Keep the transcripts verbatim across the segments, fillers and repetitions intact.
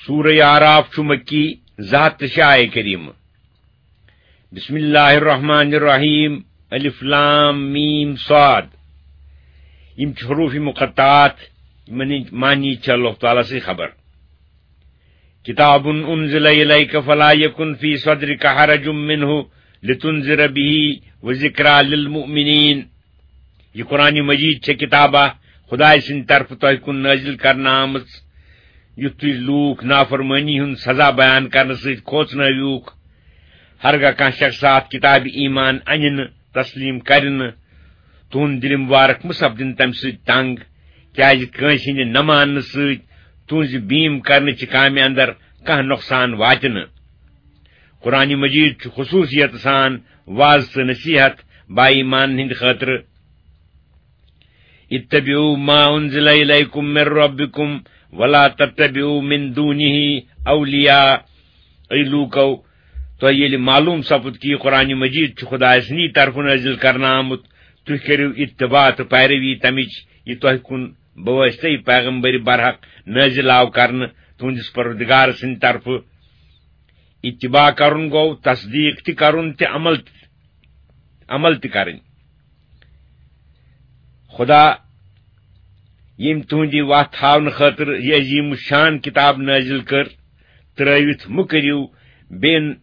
سورہ اعراف چھُ مکی، زٕ ہتھ تہٕ شےٚ آیہِ کریمہٕ۔ بسم اللہ الرحمن الرحیم۔ الف لام میم صاد۔ یِم چھِ حروف مقطعات، یِمن ہٕنٛدۍ معنی چھِ اللہ تعالیٰ سٕے خبر۔ کتاب انزل الیک فلا یکن فی صدرک حرج منہ لتنذر بہ وذکری للمؤمنین۔ یہِ قرآن مجید چھےٚ کتابہ خدایہِ سٕنٛدِ طرفہٕ تۄہہِ کُن نٲزِل کرنہٕ آمٕژ، یُتھ تُہۍ لوٗکھ نافرمٲنی ہُنٛد سزا بیان کرنہٕ سۭتۍ کھوژنٲوِوکھ۔ ہرگاہ کانٛہہ شخص اتھ کتابہِ ایمان انہِ نہٕ، تسلیم کرِ نہٕ، تُہُنٛد دِلہِ مُبارک مہٕ سپدِن تمہِ سۭتۍ تنگ، کیازِ کٲنٛسہِ ہٕنٛدِ نہ ماننہٕ سۭتۍ تُہٕنٛزِ بیٖم کرنہٕ چہِ کامہِ اندر کانٛہہ نۄقصان واتہِ نہٕ۔ قرآن مجید چھُ خصوصیت سان واز تہٕ نصیحت با ایمان ہٕنٛدِ خٲطرٕ۔ اتبعوا ما انزل الیکم من ربکم ولا تتبعوا من دونہ اولیاء۔ اے لوٗکو، تۄہہِ ییٚلہِ معلوم سپُد کہِ یہِ قرآن مجید چھُ خدایہِ سٕنٛدی طرفہٕ نٲزِل کرنہٕ آمُت، تُہۍ کٔرِو اتباع تہٕ پیروی تمِچ، یہِ تۄہہِ کُن بواسطے پیغمبر برحق نٲزِل آو کرنہٕ تُہنٛدِس پروردگار سٕنٛدِ طرفہٕ۔ اتباع کرُن گوٚو تصدیق تہِ کرُن تہِ عمل تہِ، عمل تہِ کرٕنۍ۔ خدا ییٚمۍ تُہنٛدِ وتھ ہاونہٕ خٲطرٕ یہِ عظیم شان کتاب نٲزِل کٔر، ترٲوِتھ مہٕ کٔرِو بیٚین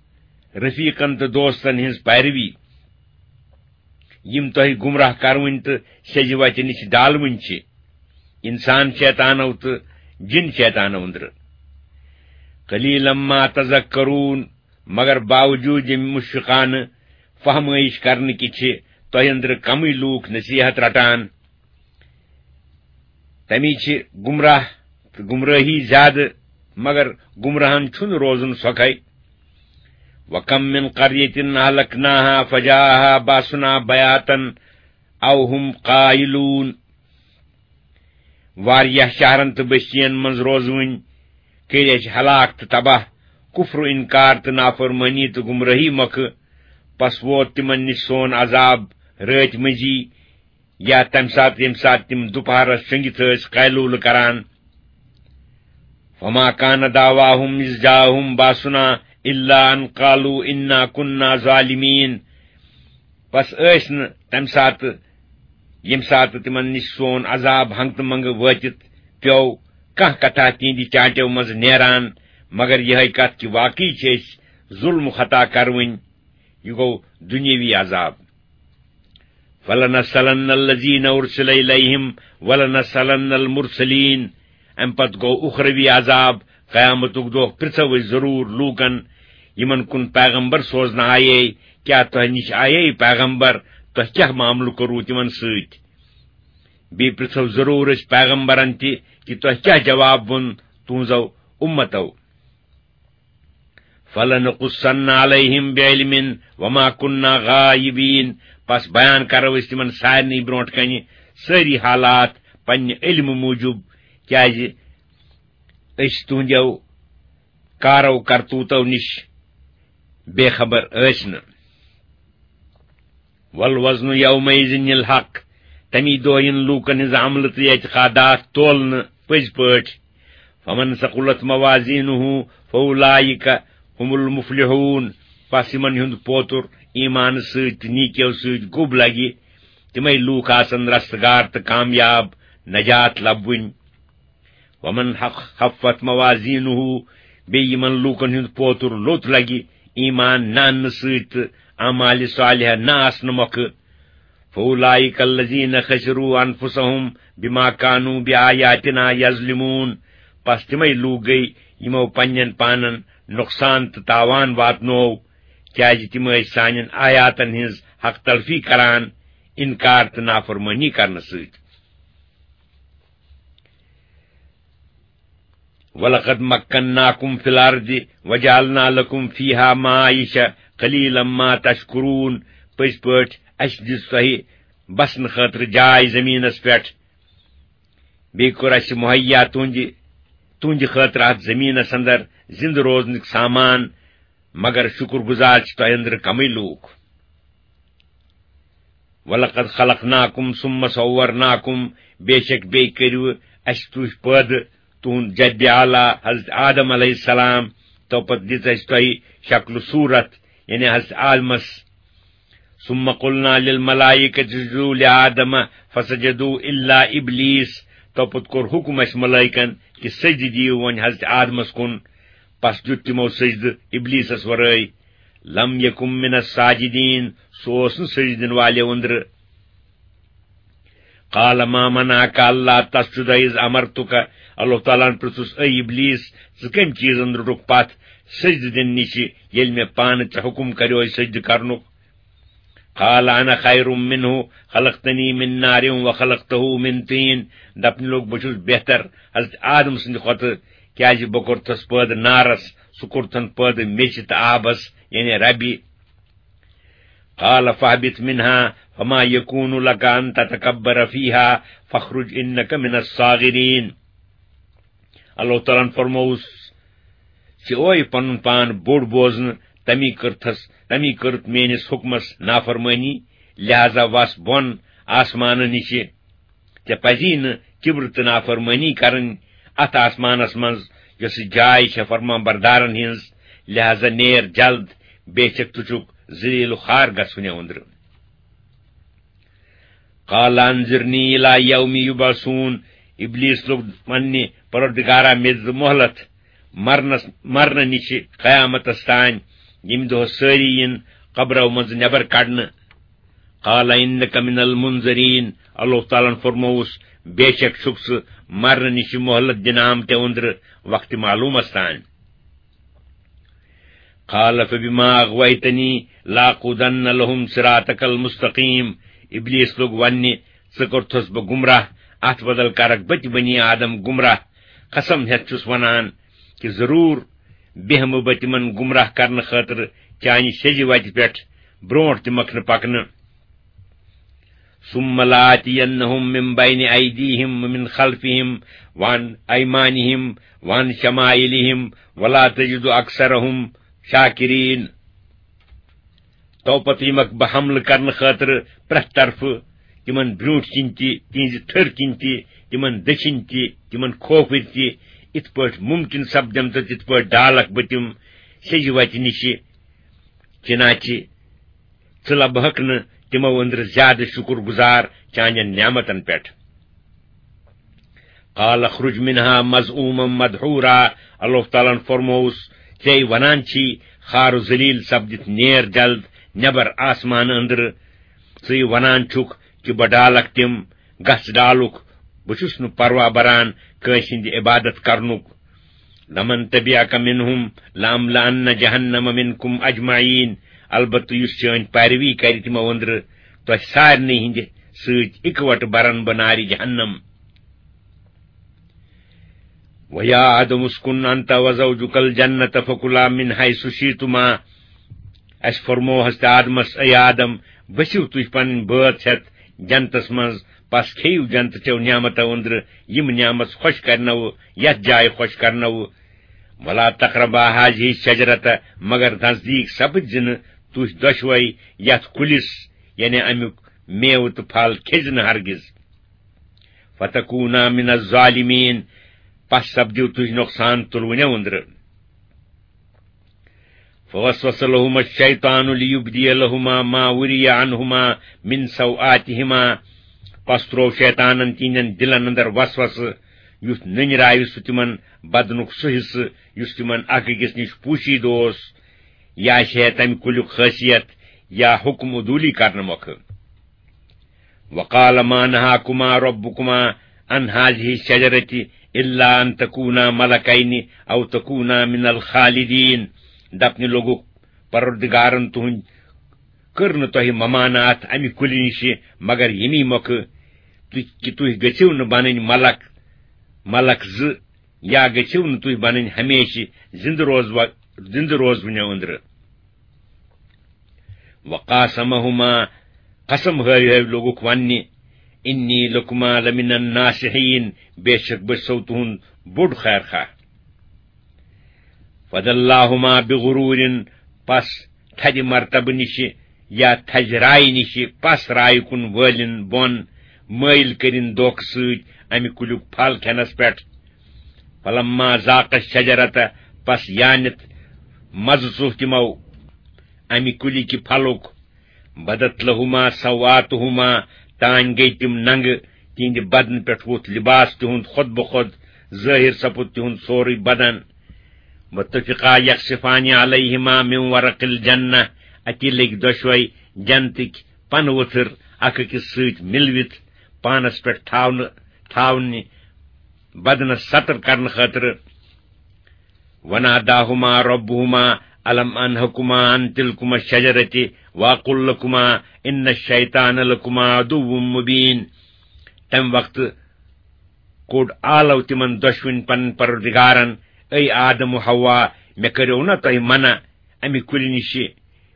رفیقن تہٕ دوستن ہٕنٛز پیروی، یِم تۄہہِ گمراہ کرونۍ تہٕ سیٚزِ وتہِ نِش ڈالوٕنۍ چھِ، انسان شیطانو تہٕ جن شیطانو أنٛدرٕ۔ قلیلا ما تذکرون، مگر باوجود ییٚمہِ مشفقانہٕ فہمٲیش کرنہٕ کہِ چھِ تۄہہِ أنٛدرٕ کمٕے لوٗکھ نصیحت رٹان۔ تمی چھِ گمراہ تہٕ گمرٲہی زیادٕ، مگر گمراہن چھُنہٕ روزُن سۄکھے۔ وَكَم مِّن قَرْيَةٍ أَهْلَكْنَاهَا فَجَاءَهَا بَأْسُنَا بَيَاتًا أَوْ هُمْ قَائِلُونَ۔ واریاہ شہرن تہٕ بستین منٛز روزوٕنۍ کٔرۍ اَسہِ ہلاک تہٕ تباہ، کفر و انکار تہٕ نافرمٲنی تہٕ گمرٲہی مۄکھٕ۔ پس ووت تِمن نِش سون عذاب رٲتۍ مٔنٛزی، یا تمہِ ساتہٕ ییٚمہِ ساتہٕ تِم دُپہرس شۄنگِتھ ٲسۍ قیلولہٕ کران۔ فما کان دعواہم اذ جاءہم باسنا الا ان قالوا انا کنا ظالمین۔ پس ٲسۍ نہٕ تمہِ ساتہٕ، ییٚمہِ ساتہٕ تِمن نِش سون عذاب ہنگتہٕ منگہٕ وٲتِتھ پیوٚو، کانٛہہ کتھا تِہنٛدِ چانٹیو منٛزٕ نیران، مگر یِہے کتھ کہِ واقعی چھِ أسۍ ظلم و خطا کروٕنۍ۔ یہِ گوٚو دُنیٲوی عذاب۔ فلنسألن الذین ارسل الیہم ولنسألن المرسلین۔ امہِ پتہٕ گوٚو اُخروی عذاب، قیامتُک دۄہ پرژھو أسۍ ضروٗر لوٗکن، یِمن کُن پیغمبر سوزنہٕ آیے، کیٛاہ تۄہہِ نِش آیے پیغمبر؟ تۄہہِ کیٛاہ معاملہٕ کوٚروٕ تِمن سۭتۍ؟ بیٚیہِ پرژھو ضروٗر أسۍ پیغمبرن تہِ کہِ تۄہہِ کیٛاہ جواب ووٚن تُہنٛزو اُمتو۔ فلنقصن علیہم بعلم وما کنا غائبین۔ پس بیان کرو أسۍ تِمن سارنٕے برونٛٹھ کنہِ سٲری حالات پننہِ علمہٕ موٗجوٗب، کیازِ أسۍ تُہنٛدیو کارو کرتوٗتو نِش بے خبر ٲسۍ نہٕ۔ والوزن یومئذ الحق۔ تمی دۄہ یِن لوٗکن ہٕنٛز عملہٕ تہٕ اعتقادات تولنہٕ پٔزۍ پٲٹھۍ۔ فمن ثقلت موازینہ فاولئک هم المفلحون۔ پس یِمن ہُنٛد پوتُر ایمانہٕ سۭتۍ تہٕ نیکیو سۭتۍ گوٚب لگہِ، تِمے لوٗکھ آسن رستگار تہٕ کامیاب، نجات لبوٕنۍ۔ ومن خفت موازینہ، بیٚیہِ یِمن لوٗکن ہُنٛد پوتُر لوٚت لگہِ ایمان نہ اننہٕ سۭتۍ تہٕ اعمالِ صالحہ نہ آسنہٕ مۄکھٕ۔ فاولئک الذین خسروا انفسهم بما کانوا بآیاتنا یظلمون۔ پس تِمے لوٗکھ گٔے یِمو پننٮ۪ن پانن نۄقصان تہٕ تاوان واتنوو، کیازِ تِم ٲسۍ سانٮ۪ن آیاتن ہٕنٛز حق تلفی کران، انکار تہٕ نافرمٲنی کرنہٕ سۭتۍ۔ ولقد مکناکم فی الارض وجعلنا لکم فیہا معایشہ قلیلا ما تشکرون۔ پٔزۍ پٲٹھۍ، اسہِ دِژ تۄہہِ بسنہٕ خٲطرٕ جاے زمینس پٮ۪ٹھ، بیٚیہِ کوٚر اسہِ مہیا تُہنٛدِ، تُہنٛدِ خٲطرٕ اتھ زمینس اندر زندٕ روزنُک سامان، مگر شکر گزار چھِ تۄہہِ اندرٕ کمٕے لوٗکھ۔ ولقد خلقناکم ثم صورناکم، بے شک بیٚیہِ کٔرِو اسہِ تُہۍ پٲدٕ، تُہُنٛد جدِ اعلیٰ حضرت آدم علیہ السلام، تو پتہٕ دِژ اَسہِ تۄہہِ شکل صوٗرت، یعنی حضرت آدمس۔ ثم قلنا للملائكة اسجدوا لآدم فسجدوا إلا إبليس۔ تو پتہٕ کوٚر حُکم اَسہِ ملائکن کہِ سجدٕ دِیِو وۄنۍ حضرت آدمس کُن۔ پس دیُت تِمو سجدٕ ابلیسس ورٲے۔ لم یکن من الساجدین، سُہ اوس نہٕ سجدٕ دِنہٕ والٮ۪و أنٛدرٕ۔ قال ما منعك ألا تسجد إذ أمرتك، اللہ تعالیٰ ہن پرژھُس، اے ابلیس، ژٕ کمہِ چیٖزن روٚٹُکھ پتھ سجدٕ دِنہٕ نِش، ییٚلہِ مےٚ پانہٕ ژےٚ حُکم کریوے سجدٕ کرنُک؟ قال أنا خير منه خلقتني من نار وخلقته من طين۔ دپنہِ لوٚگ، بہٕ چھُس بہتر حضرت آدم سٕنٛدِ کھۄتہٕ، کیازِ بہٕ کوٚرتھس پٲدٕ نارس، سُہ کوٚرتھن پٲدٕ میٚژِ تہٕ آبس، یعنی ربہِ۔ قال فاهبط منها فما يكون لك أن تتكبر فيها فاخرج إنك من الصاغرين۔ اللہ تعالیٰ ہن فرمووُس، ژےٚ اوے پنُن پان بوٚڑ بوزنہٕ، تمی کٔرتھس، تمی کٔرٕتھ میٲنِس حُکمس نافرمٲنی، لہذا وس بۄن آسمانہٕ نِشہِ۔ ژےٚ پزی نہٕ کِبرٕ تہٕ نافرمٲنی کرٕنۍ اتھ آسمانس منٛز، یۄسہٕ جاے چھےٚ فرمان بردارن ہٕنٛز، لہذا نیر جلد، بے شک ژٕ چھُکھ ذلیل و خوار گژھوٕنٮ۪و أنٛدرٕ۔ قال أنظرني إلى يوم يبعثون۔ ابلیس لوٚگ وننہِ، پروردگارا، مےٚ دِ مۄہلت مرنس، مرنہٕ نِش قیامتس تام، ییٚمہِ دۄہ سٲری یِن قبرو منٛزٕ نٮ۪بر کڑنہٕ۔ قال إنك من المنظرين۔ اللہ تعالیٰ ہن فرمووُس، بے شک چھُکھ ژٕ مرنہٕ نِش مۄہلت دِنہٕ آمتٮ۪و أنٛدرٕ وقتِ معلوٗمس تام۔ قال فبما أغويتني لأقعدن لهم صراطك المستقيم۔ ابلیس لوٚگ وننہِ، ژٕ کوٚرتھس بہٕ گمراہ، اتھ بدل کرکھ بہٕ تہِ بنی آدم گمراہ۔ قسم ہیتھ چھُس ونان کہِ ضروٗر بیہمہٕ بہٕ تِمن گمراہ کرنہٕ خٲطرٕ چانہِ سیٚزِ وتہِ پٮ۪ٹھ برونٹھ تہِ مکھنہٕ پکنہٕ۔ ثم لآتينهم من بين أيديهم ومن خلفهم وعن أيمانهم وعن شمائلهم ولا تجد أكثرهم شاكرين۔ تو پتہٕ یِمکھ بہٕ حملہٕ کرنہٕ خٲطرٕ پرٛٮ۪تھ طرفہٕ، تِمن برٛونٛٹھ کِنۍ تہِ، تِہنٛزِ تھٔرۍ کِنۍ تہِ، تِمن دٔچھِنۍ تہِ، تِمن کھوفٕرۍ تہِ، یِتھ پٲٹھۍ مُمکِن سپدٮ۪م تہٕ تِتھ پٲٹھۍ ڈالکھ بہٕ تِم سیٚزِ وتہِ نِشہِ۔ چنانچہ ژٕ لبہکھ نہٕ تِمو أنٛدرٕ زیادٕ شُکر گُزار چانٮ۪ن نعمتن پٮ۪ٹھ۔ قال اخرج منها مذءوما مدحورا۔ اللہ تعالیٰ ہن فرمووُس، ژے ونان چھی، خار و ذلیل سپدِتھ نیر جلد نٮ۪بر آسمان أنٛدرٕ۔ ژٕے ونان چھُکھ کہِ بہٕ ڈالکھ تِم، گژھ ڈالُکھ، بہٕ چھُس نہٕ پرواہ بران کٲنٛسہِ ہٕنٛدِ عبادت کرنُک۔ لمن تبعك منهم لأملأن جهنم منكم أجمعين۔ البتہ یُس چٲنۍ پیروی کرِ تِمو أنٛدرٕ، تۄہہِ سارنٕے ہٕنٛدِ سۭتۍ اِکوٹہٕ برن بہٕ نارِ جہنم۔ ويا آدم اسكن أنت وزوجك الجنة فكلا من حيث شئتما۔ اسہِ فرموو حضرت آدمس، اے آدم، بٔسِو تُہۍ پنٕنۍ بٲژ ہٮ۪تھ جنتس منٛز، پس کھیٚیِو جنتہٕ چٮ۪و نعمتو أنٛدرٕ یِم نعمت خۄش کرنو، یتھ جایہِ خۄش کرنو۔ ولا تقربا هذه الشجرة، مگر نزدیک سپدۍ زِ نہٕ تُہۍ دۄشوے یتھ کُلِس، یعنی امیُک میوٕ تہٕ پھل کھیٚزِ نہٕ ہرگز۔ فتكونا من الظالمين، پس سپدِو تُہۍ نۄقصان تُلوٕنٮ۪و أنٛدرٕ۔ فوسوس لهما الشيطان ليبدي لهما ما وري عنهما من سوآتهما۔ پس تروو شیطانن تِہنٛدٮ۪ن دِلن اندر وسوسہٕ، یُتھ نٔنۍ راوِ سُہ تِمن بدنُک سُہ حصہٕ، یُس تِمن اکھ أکِس نِش پوٗشیدٕ اوس، یا آسہِ ہے تمہِ کُلیُک خٲصیت یا حُکم عدوٗلی کرنہٕ مۄکھٕ۔ وقال ما نهاكما ربكما عن هذه الشجرة إلا أن تكونا ملكين أو تكونا من الخالدين۔ دپنہِ لوٚگُکھ، پروردگارن تُہنٛد کٔر نہٕ تۄہہِ ممانعت امہِ کُلہِ نِشہِ مگر ییٚمی مۄکھٕ تُہۍ، کہِ تُہۍ گٔژھِو نہٕ بنٕنۍ ملک، ملک زٕ، یا گٔژھِو نہٕ تُہۍ بنٕنۍ ہمیشہِ زِندٕ روزوا-، زِندٕ روزوٕنٮ۪و أنٛدرٕ۔ وقاسمهما، قسم ہٲوۍ ہٲوۍ لوٚگُکھ وننہِ، إني لكما لمن الناصحين، بے شک بہٕ چھسو تُہُنٛد بوٚڑ خیر خواہ۔ فدلاهما بغرور، پس تھدِ مرتبہٕ نِشہِ یا تھزِ رایہِ نِشہِ پس رایہِ کُن وٲلِن بۄن، مٲیِل کٔرِن دھوکہٕ سۭتۍ امہِ کُلیُک پھل کھٮ۪نس پٮ۪ٹھ۔ فلما ذاقا الشجرة، پس یانت مزٕ ژوٚو تِمو امہِ کُلہِ کہِ پھلُک، بدت لہما سوآتہما، تانۍ گٔے تِم ننگہٕ، تِہنٛدِ بدنہٕ پٮ۪ٹھ ووٚتھ لباس تِہُنٛد خۄد بخۄد، ظٲہِر سپُد تِہُنٛد سورُے بدن۔ وطفقا یخصفان علیہما من ورق الجنہ، اتی لٔگۍ دۄشوے جنتٕکۍ پنہٕ ؤتھٕر اکھ أکِس سۭتۍ مِلوِتھ پانس پٮ۪ٹھ تھاونہٕ، تھاونہِ بدنس ستر کرنہٕ خٲطرٕ۔ وناداہما ربہما الم انہکما عن تلکما الشجرۃ واقل لکما ان الشیطان لکما عدو مبین۔ تمہِ وقتہٕ کوٚڑ آلو تِمن دۄشوٕنۍ پنٕنۍ پروردگارن، اے آدم و حوا، مےٚ کٔرِو نا تۄہہِ منع امہِ کُلہِ نِشہِ؟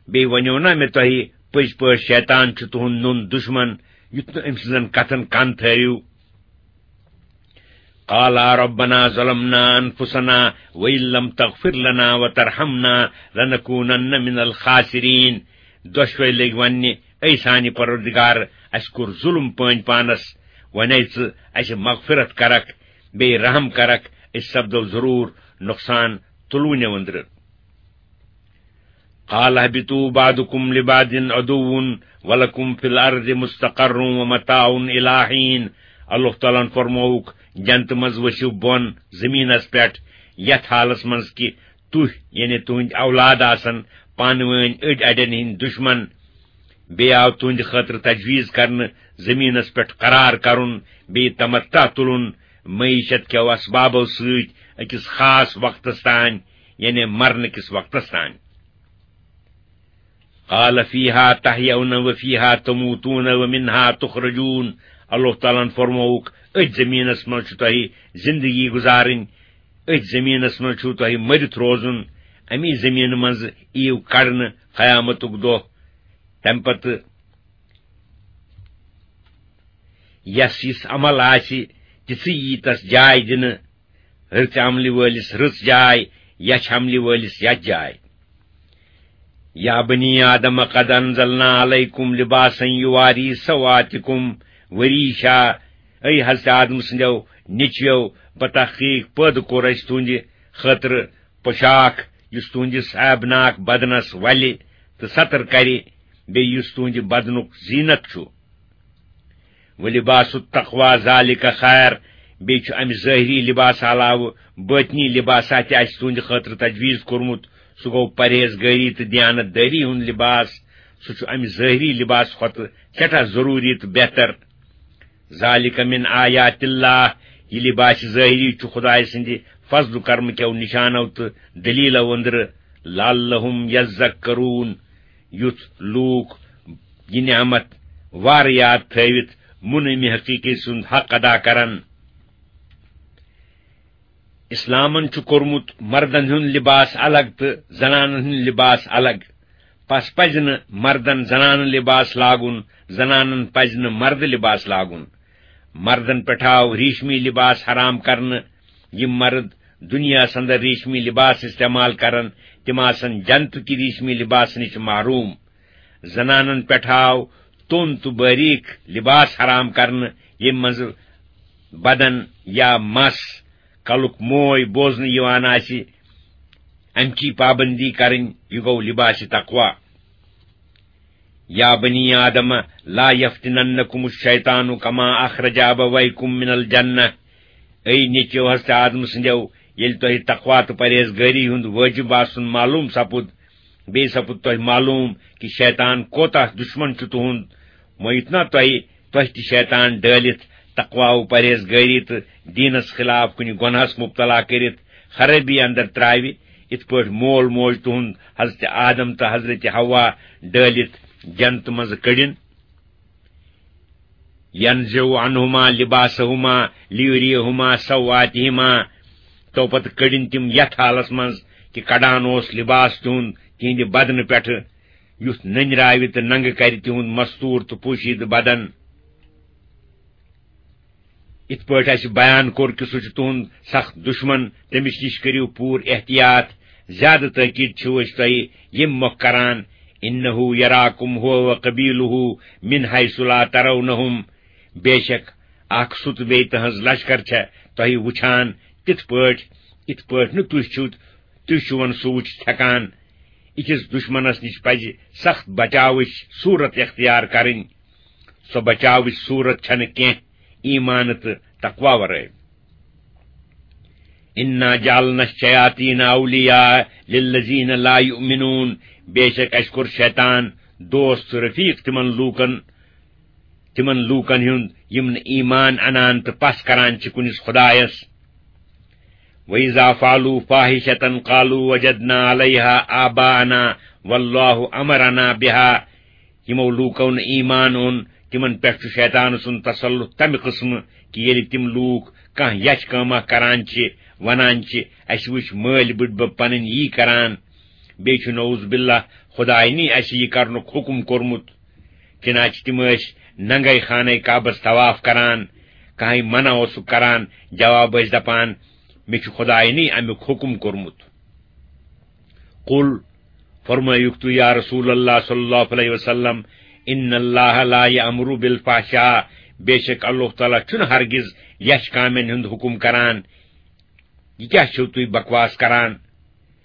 بیٚیہِ ونیو نا مےٚ تۄہہِ پٔزۍ پٲٹھۍ شیطان چھُ تُہُنٛد نوٚن دُشمن، یُتھ نہٕ أمۍ سٕنٛزن کتھن کن تھٲوِو؟ قالا ربنا ظلمنا انفسنا وان لم تغفر لنا وترحمنا لنکونن من الخاسرین۔ دۄشوے لٔگۍ وننہِ، اے سانہِ پروردگار، اسہِ کوٚر ظلم پٲنۍ پانس، ونے ژٕ اسہِ مغفرت کرکھ، بیٚیہِ رحم کرکھ، أسۍ سپدو ضرور نۄقصان تُلوٕنہِ أنٛدرٕ۔ قال اهبطوا بعضكم لبعض عدو ولكم في الارض مستقر ومتاع الى حين۔ اللہ تعالیٰ ہن فرمووُکھ، جنتہٕ منٛز ؤسِو بۄن زٔمیٖنس پٮ۪ٹھ، یتھ حالس منٛز کہِ تُہۍ، یعنی تُہنٛدۍ اولاد، آسن پانہٕ وٲنۍ أڈۍ اڈٮ۪ن ہٕنٛدۍ دُشمن۔ بیٚیہِ آو تُہنٛدِ خٲطرٕ تجویز کرنہٕ زٔمیٖنس پٮ۪ٹھ قرار کرُن، بیٚیہِ تمتع تُلُن، معیشت کٮ۪و اسبابو سۭتۍ أکِس خاص وقتس تام، یعنی مرنہٕ کِس وقتس تام۔ قال فیہا تحیون و فیہا تموتون و منہا تخرجون۔ اللہ تعالیٰ ہن فرمووُکھ، أتھۍ زٔمیٖنس منٛز چھُ تۄہہِ زندگی گُزارٕنۍ، أتھۍ زٔمیٖنس منٛز چھُو تۄہہِ مٔرِتھ روزُن، اَمی زٔمیٖنہٕ منٛزٕ یِیِو کڑنہٕ قیامتُک دۄہ۔ تَمہِ پتہٕ یَس یِژھ عمل آسہِ، تِژھٕے یی تَس جاے دِنہٕ، رٕژِ عملہِ وٲلِس رٕژ جاے، یَچھِ عملہِ وٲلِس یَچھ جاے۔ یا بنی آدم قد انزلنا علیکم لباسا یواری سوآتکم وریشا۔ اے حضرت آدم سٕنٛدیو نیٚچویو، بتحقیق پٲدٕ کوٚر اَسہِ تُہنٛدِ خٲطرٕ پوشاک، یُس تُہنٛدِس عیبناک بدنس ولہِ تہٕ ستر کرِ، بیٚیہِ یُس تُہنٛدِ بدنُک زینت چھُ۔ ولباس التقوی ذالک خیر، بیٚیہِ چھُ امہِ ظٲہری لباس علاوٕ باطنی لباسا تہِ اَسہِ تُہنٛدِ خٲطرٕ تجویز کوٚرمُت، سُہ گوٚو پرہیزگٲری تہٕ دیانت دٲری ہُنٛد لباس۔ سُہ چھُ امہِ ظٲہری لباس کھۄتہٕ سٮ۪ٹھاہ ضروٗری تہٕ بہتر۔ ذالک من آیات اللہ، یہِ لباس ظٲہری چھُ خدایہِ سٕنٛدِ فضل و کرمہٕ کٮ۪و نشانو تہٕ دلیلو أنٛدرٕ، لعلہم یذکرون، یُتھ لوٗکھ یہِ نعمت وارٕ یاد تھٲوِتھ مُنعمِ حقیقی سُنٛد حق ادا کرن۔ اسلامن چھُ کوٚرمُت مردن ہُنٛد لباس الگ تہٕ زنانن ہُنٛد لباس الگ۔ پس پزِ نہٕ مردن زنانہٕ لباس لاگُن، زنانن پزِ نہٕ مرد لباس لاگُن۔ مردن پٮ۪ٹھ آو ریشمی لباس حرام کرنہٕ۔ یِم مرد دُنیاہس اندر ریشمی لباس استعمال کرن، تِم آسن جنتُک ریشمی لباس نِش محروم۔ زنانن پٮ۪ٹھ آو توٚن تہٕ باریک لباس حرام کرنہٕ، ییٚمہِ منٛز بدن یا مس کلُک موے بوزنہٕ یِوان آسہِ، امچی پابندی کرٕنۍ، یہِ گوٚو لباس تقوی۔ یا بنی آدم لا یفتننکم الشیطان کما اخرج ابویکم من الجنہ۔ اے نیٚچو حضرت آدم سٕنٛدیو، ییٚلہِ تۄہہِ تقوی تہٕ پرہیزگٲری ہُنٛد وٲجب آسُن معلوم سپُد، بیٚیہِ سپُد تۄہہِ معلوم کہِ شیطان کوتاہ دُشمن چھُ تُہُنٛد، مۄیِتھ نا تۄہہِ، تۄہہِ تہِ شیطان ڈٲلِتھ تقوی و پرہیزگٲری تہٕ دیٖنس خلاف کُنہِ گۄناہس مبتلا کٔرِتھ خرٲبی اندر ترٛاوِ، یِتھ پٲٹھۍ مول موج تُہُنٛد حضرت آدم تہٕ حضرت حوا ڈٲلِتھ جنتہٕ منٛزٕ کٔڑِن۔ ینزع عنہما لباسہما لیریہما سوآتہما۔ تو پتہٕ کٔڑِن تِم یتھ حالس منٛز کہِ کڑان اوس لباس تِہُنٛد تِہنٛدِ بدنہٕ پٮ۪ٹھٕ، یُتھ نٔنۍ راوِ تہٕ ننگہٕ کرِ تِہُنٛد مستور تہٕ پوشیدٕ بدن۔ یِتھ پٲٹھۍ اَسہِ بیان کوٚر کہِ سُہ چھُ تُہُنٛد سخت دُشمن، تٔمِس نِش کٔرِو پوٗرٕ احتیاط۔ زیادٕ تٲکیٖد چھِو أسۍ تۄہہِ ییٚمہِ مۄکھ کران، انہ یراکم ہو و قبیلہ من حیث لا ترونہم۔ بے شک اکھ سُہ تہٕ بیٚیہِ تٕہٕنٛز لشکر چھےٚ تۄہہِ وُچھان، تِتھ پٲٹھۍ، یِتھ پٲٹھۍ نہٕ تُہۍ چھِو، تُہۍ چھِو وۄنۍ سُہ وٕچھِتھ ہٮ۪کان۔ أکِس دُشمنس نِش پزِ سخت بچاوٕچ صوٗرت اختیار کرٕنۍ۔ سۄ بچاوٕچ صوٗرت چھنہٕ کینٛہہ ایمان تہٕ تقوی ورٲے۔ انا جعلنا الشیاطین اولیاء للذین لا یؤمنون، بے شک اسہِ کوٚر شیطان دوست تہٕ رفیق تِمن لوٗکن، تِمن لوٗکن ہُنٛد یِم نہٕ ایمان انان تہٕ پژھ کران چھِ کُنِس خدایس۔ وَإِذَا فَعَلُوا فَاحِشَةً قَالُوا وَجَدْنَا عَلَيْهَا آبَاءَنَا وَاللَّهُ أَمَرَنَا بِهَا۔ یِمو لوٗکو نہٕ ایمان اوٚن، تِمن پٮ۪ٹھ چھُ شیطان سُنٛد تسلط تمہِ قٕسمہٕ کہِ ییٚلہِ تِم لوٗکھ کانٛہہ یچھ کٲمہ کران چھِ، ونان چھِ، "اسہِ وٕچھ مٲلۍ بٕڈبب پنٕنۍ یی کران"، بیٚیہِ چھُ نعوذ باللہ خداے نی اسہِ یہِ کرنُک حُکم کوٚرمُت۔ چنانچہ تِم ٲسۍ ننگے خانہ کعبس طواف کران۔ کانٛہہ منع اوسُکھ کران، جواب ٲسۍ دپان، "مےٚ چھُ خداینٕے امیُک حُکم کوٚرمُت۔" قل، فرمٲیُکھ تُہۍ یا رسول اللہ صلی اللہ علیہ وسلم، "ان اللہ لا یأمر بالفحشاء"، بے شک اللہ تعالیٰ چھُنہٕ ہرگز یچھ کامٮ۪ن ہُنٛد حُکم کران۔ یہِ کیٛاہ چھِو تُہۍ بکواس کران؟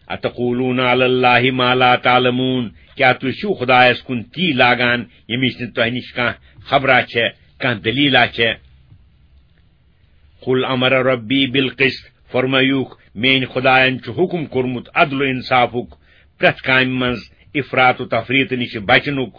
"اتقولون علی اللہ ما لا تعلمون"، کیٛاہ تُہۍ چھِو خدایس کُن تی لاگان، ییٚمِچ نہٕ تۄہہِ نِش کانٛہہ خبرا چھےٚ، کانٛہہ دٔلیٖلا چھےٚ؟ "قل امر ربی بالقسط"، فرمٲیُکھ، "میٲنۍ خدایَن چھُ حُکم کوٚرمُت عدل و انصافُک، پرٛٮ۪تھ کامہِ منٛز افراط و تفریط نِش بچنُک۔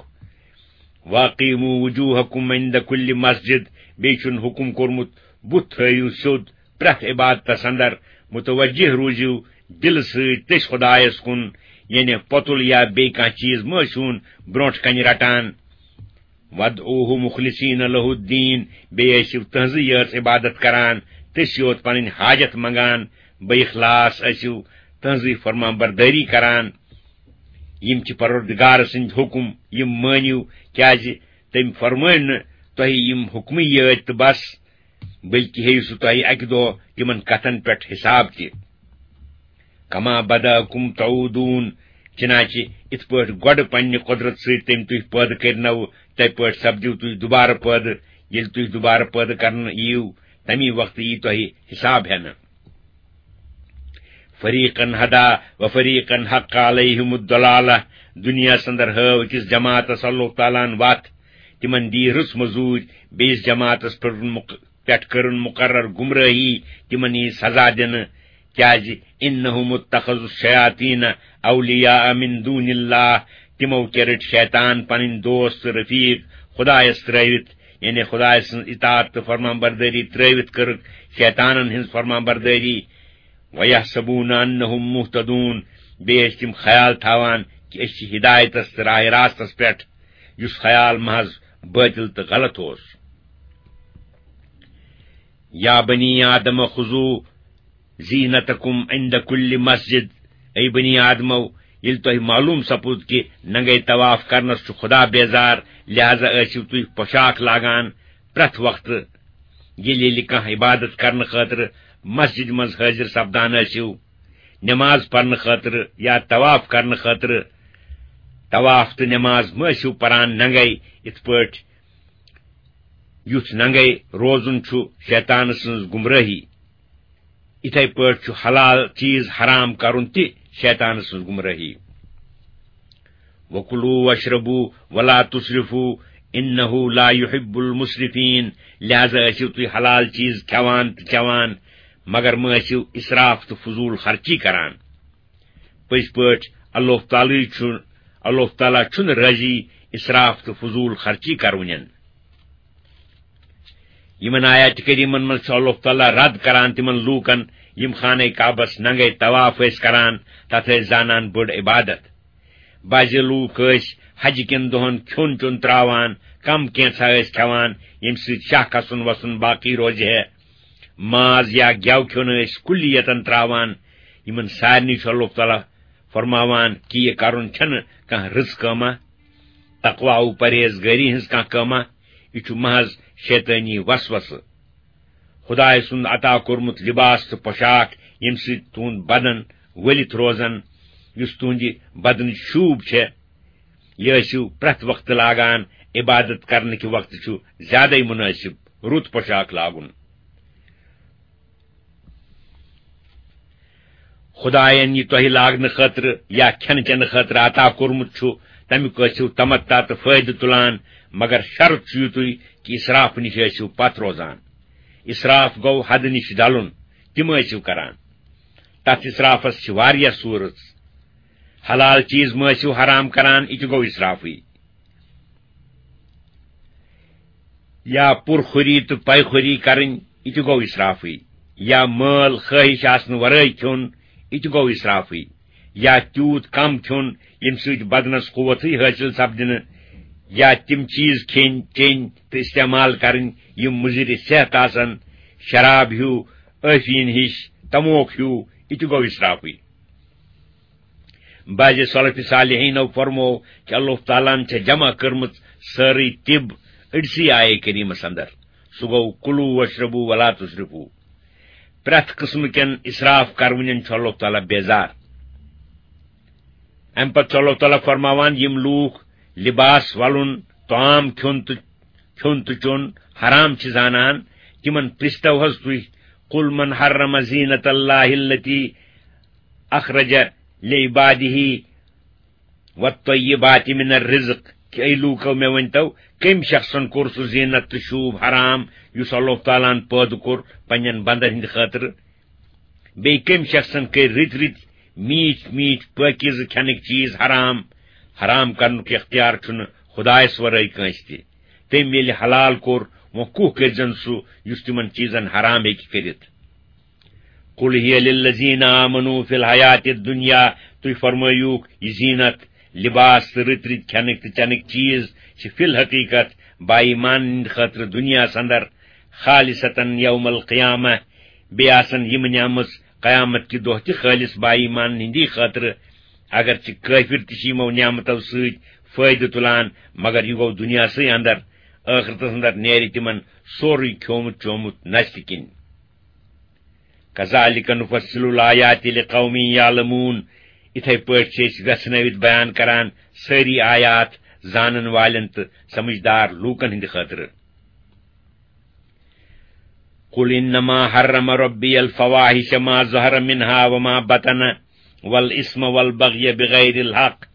واقیموا وجوہکم عند کل مسجد"، بیٚیہِ چھُن حُکم کوٚرمُت، "بُتھ تھٲیِو سیوٚد پرٛٮ۪تھ عبادتس اندر، متوجہ روٗزِو دِلہٕ سۭتۍ تٔسۍ خدایس کُن"، یعنی پۄتُل یا بیٚیہِ کانٛہہ چیٖز مہ ٲسِوُن برونٛٹھ کنہِ رٹان۔ "وادعوہ مخلصین لہ الدین"، بیٚیہِ ٲسِو تٕہنٛزٕے یٲژ عبادت کران، تٔسۍ یوت پنٕنۍ حاجت منگان، بہ اخلاص ٲسِو تٕہنٛزٕے فرمان بردٲری کران۔ یِم چھِ پروردگار سٕنٛدۍ حُکم، یِم مٲنِو، کیازِ تٔمۍ فرمٲے نہٕ تۄہہِ یِم حُکمٕے یٲتۍ تہٕ بس، بلکہِ ہیٚیِو سُہ تۄہہِ اکہِ دۄہ تِمن کتھن پٮ۪ٹھ حساب تہِ۔ "کما بدأکم تعودون"، چنانچہ یِتھ پٲٹھۍ گۄڈٕ پننہِ قۄدرت سۭتۍ تٔمۍ تُہۍ پٲدٕ کٔرنو، تِتھے پٲٹھۍ سپدِو تُہۍ دُبارٕ پٲدٕ۔ ییٚلہِ تُہۍ دُبارٕ پٲدٕ کرنہٕ یِیِو، تمی وقتہٕ یی تۄہہِ حساب ہٮ۪نہٕ۔ "فریقا ہدا و فریقا حق علیہم الضلالہ"، دُنیاہس اندر ہٲو أکِس جماعتس اللہ تعالیٰ ہن وتھ، تِمن دی رٕژ مٔزوٗرۍ، بیٚیِس جماعتس پٮ۪ٹھ مُق-، پٮ۪ٹھ کٔرٕن مُقرر گمرٲہی، تِمن یی سزا دِنہٕ، کیازِ "انہم اتخذوا الشیاطین اولیاء من دون اللہ"، تِمو کیٛاہ رٔٹۍ شیطان پنٕنۍ دوست تہٕ رفیق خدایس ترٲوِتھ، یعنی خدایہِ سٕنٛز اطاعت تہٕ فرمان بردٲری ترٲوِتھ کٔرٕکھ شیطانن ہٕنٛز فرمان بردٲری۔ "ویحسبون انہم مہتدون"، بیٚیہِ ٲسۍ تِم خیال تھاوان کہِ أسۍ چھِ ہدایتس تہٕ راہ راستس پٮ۪ٹھ، یُس خیال محض بٲطل تہٕ غلط اوس۔ "یا بنی آدم خذوا زینتکم عند کل مسجد"، اے بنی آدمو، ییٚلہِ تۄہہِ معلوم سپُد کہِ ننگے طواف کرنس چھُ خدا بیزار، لہذا ٲسِو تُہۍ پوشاک لاگان پرٛٮ۪تھ وقتہٕ، ییٚلہِ ییٚلہِ کانٛہہ عبادت کرنہٕ خٲطرٕ مسجد منٛز حٲضِر سپدان ٲسِو، نماز پرنہٕ خٲطرٕ یا طواف کرنہٕ خٲطرٕ۔ طواف تہٕ نماز مہ ٲسِو پران ننگے، یِتھ پٲٹھۍ یُتھ ننگے روزُن چھُ شیطان سٕنٛز گمرٲہی، یِتھے پٲٹھۍ چھُ حلال چیز حرام کرُن تہِ شیطان سٕنٛز گمرٲہی۔ "وکلوا واشربوا ولا تسرفوا انہ لا یحب المسرفین"، لہذا ٲسِو تُہۍ حلال چیز کھٮ۪وان تہٕ چٮ۪وان، مگر مہ ٲسِو اسراف تہٕ فضول خرچی کران۔ پٔزۍ پٲٹھۍ اللہ تعالیٰ چھُ، اللہ تعالیٰ چھُنہٕ رٲضی اسراف تہٕ فضول خرچی کرونٮ۪ن۔ یِمن آیات کریمن منٛز چھُ اللہ تعالیٰ رد کران تِمن لوٗکن، یِم خانہ کعبس ننگے طواف ٲسۍ کران، تتھ ٲسۍ زانان بٔڑ عبادت۔ بعض لوٗکھ ٲسۍ حج کٮ۪ن دۄہن کھیوٚن چیوٚن تراوان، کم کینژھا ٲسۍ کھٮ۪وان، ییٚمہِ سۭتۍ شاہ کھسُن وسُن باقی روزِ ہے۔ ماز یا گٮ۪و کھیوٚن ٲسۍ کُلیتن تراوان۔ یِمن سارنٕے چھُ اللہ تعالیٰ فرماوان کہِ یہِ کرُن چھنہٕ کانٛہہ رٕژ کٲمہ، تقوی و پرہیزگٲری ہٕنٛز کانٛہہ کٲمہ، یہِ چھُ محض شیطٲنی وسوسہٕ۔ خدایہِ سُنٛد عطا کوٚرمُت لباس تہٕ پوشاک، ییٚمہِ سۭتۍ تُہُنٛد بدن ؤلِتھ روزن، یُس تُہنٛدِ بدنٕچ شوٗب چھےٚ، یہِ ٲسِو پرٛٮ۪تھ وقتہٕ لاگان۔ عبادت کرنہٕ کہِ وقتہٕ چھُ زیادَے مُنٲسِب رُت پوشاک لاگُن۔ خدایَن یہِ تۄہہِ لاگنہٕ خٲطرٕ یا کھٮ۪نہٕ چٮ۪نہٕ خٲطرٕ عطا کوٚرمُت چھُ، تَمیُک ٲسِو تمتع تہٕ فٲیدٕ تُلان، مگر شرط چھُ یِتُے کہِ اسراف نِش ٲسِو پتھ روزان۔ اسراف گوٚو حدٕ نِش ڈلُن، تہِ مہ ٲسِو کران۔ تتھ اسرافس چھِ واریاہ صوٗرژ۔ حلال چیز مہ ٲسِو حرام کران، یہِ تہِ گوٚو اسرافٕے۔ یا پُرخوری تہٕ پیخوری کرٕنۍ، یہِ تہِ گوٚو اسرافٕے۔ یا مٲل خٲہِش آسنہٕ ورٲے کھیوٚن، یہِ تہِ گوٚو اسرافٕے۔ یا تیوٗت کم کھیوٚن، ییٚمہِ سۭتۍ بدنس قوتٕے حٲصِل سپدِ نہٕ۔ یا تِم چیز کھیٚنۍ، چیٚنۍ تہٕ استعمال کرٕنۍ، یِم مُضِرِ صحت آسن، شراب ہیوٗ، ٲفیٖن ہِش، تموک ہیوٗ، یہِ تہِ گوٚو اسرافٕے۔ بعض سلف صالحینو فرمو کہ اللہ تعالیٰ ہن چھےٚ جمع کٔرمٕژ سٲرٕے طب أڑسٕے آیے کریمس اندر۔ سُہ گوٚو، "کلوا واشربوا ولا تسرفوا۔" پرٛٮ۪تھ قٕسمہٕ کٮ۪ن اسراف کرونٮ۪ن چھُ اللہ تعالیٰ بیزار۔ امہِ پتہٕ چھُ اللہ تعالیٰ فرماوان، یِم لوٗکھ لباس ولُن، طعام کھیوٚن تہٕ، کھیوٚن تہٕ چیوٚن حرام چھِ زانان، تِمن پرٛژھتو حض تُہۍ، "قل من حرم زینت اللہ التی اخرج لعباده والطیبات من الرزق"، کہ اے لوٗکو، مےٚ ؤنۍتو، کٔمۍ شخصن کوٚر سُہ زینت تہٕ شوٗب حرام یُس اللہ تعالیٰ ہن پٲدٕ کوٚر پننٮ۪ن بندن ہٕنٛدِ خٲطرٕ؟ بیٚیہِ کٔمۍ شخصن کٔرۍ رٕتۍ رٕتۍ میٖٹھۍ میٖٹھۍ پٲکیٖزٕ کھٮ۪نٕکۍ چیٖز حرام؟ حرام کرنُک اختیار چھُنہٕ خدایس ورٲے کٲنٛسہِ تہِ۔ تٔمۍ ییٚلہِ حلال کوٚر، وۄنۍ کُہ کٔرۍزن سُہ یُس تِمن چیٖزن حرام ہیٚکہِ کٔرِتھ؟ "قل هي للذين آمنوا في الحياة الدنيا"، تُہۍ فرمٲیوٗکھ، یہِ زینت، لباس تہٕ رٕتۍ رٕتۍ کھٮ۪نٕکۍ تہٕ چٮ۪نٕکۍ چیٖز چھِ فی الحقیقت با ایمان ہٕنٛدِ خٲطرٕ دُنیاہس اندر، "خالصة يوم القيامة"، بیٚیہِ آسن یِم نعمژ قیامت کہِ دۄہ تہِ خٲلص با ایمان ہٕنٛدی خٲطرٕ۔ اگرچہِ کٲفر تہِ چھِ یِمو نعمتو سۭتۍ فٲیدٕ تُلان، مگر یہِ گوٚو دُنیاہسٕے اندر، ٲخرتس اندر نیرِ تِمن سورُے کھیومُت چومُت نستہِ کِنۍ۔ "كذلك نفصل الآيات لقوم يعلمون"، یِتھے پٲٹھۍ چھِ أسۍ وٮ۪ژھنٲوِتھ بیان کران سٲری آیات زانن والٮ۪ن تہٕ سمجھدار لوٗکن ہٕنٛدِ خٲطرٕ۔ "قل إنما حرم ربي الفواحش ما ظهر منها وما بطن والإثم والبغي بغير الحق"،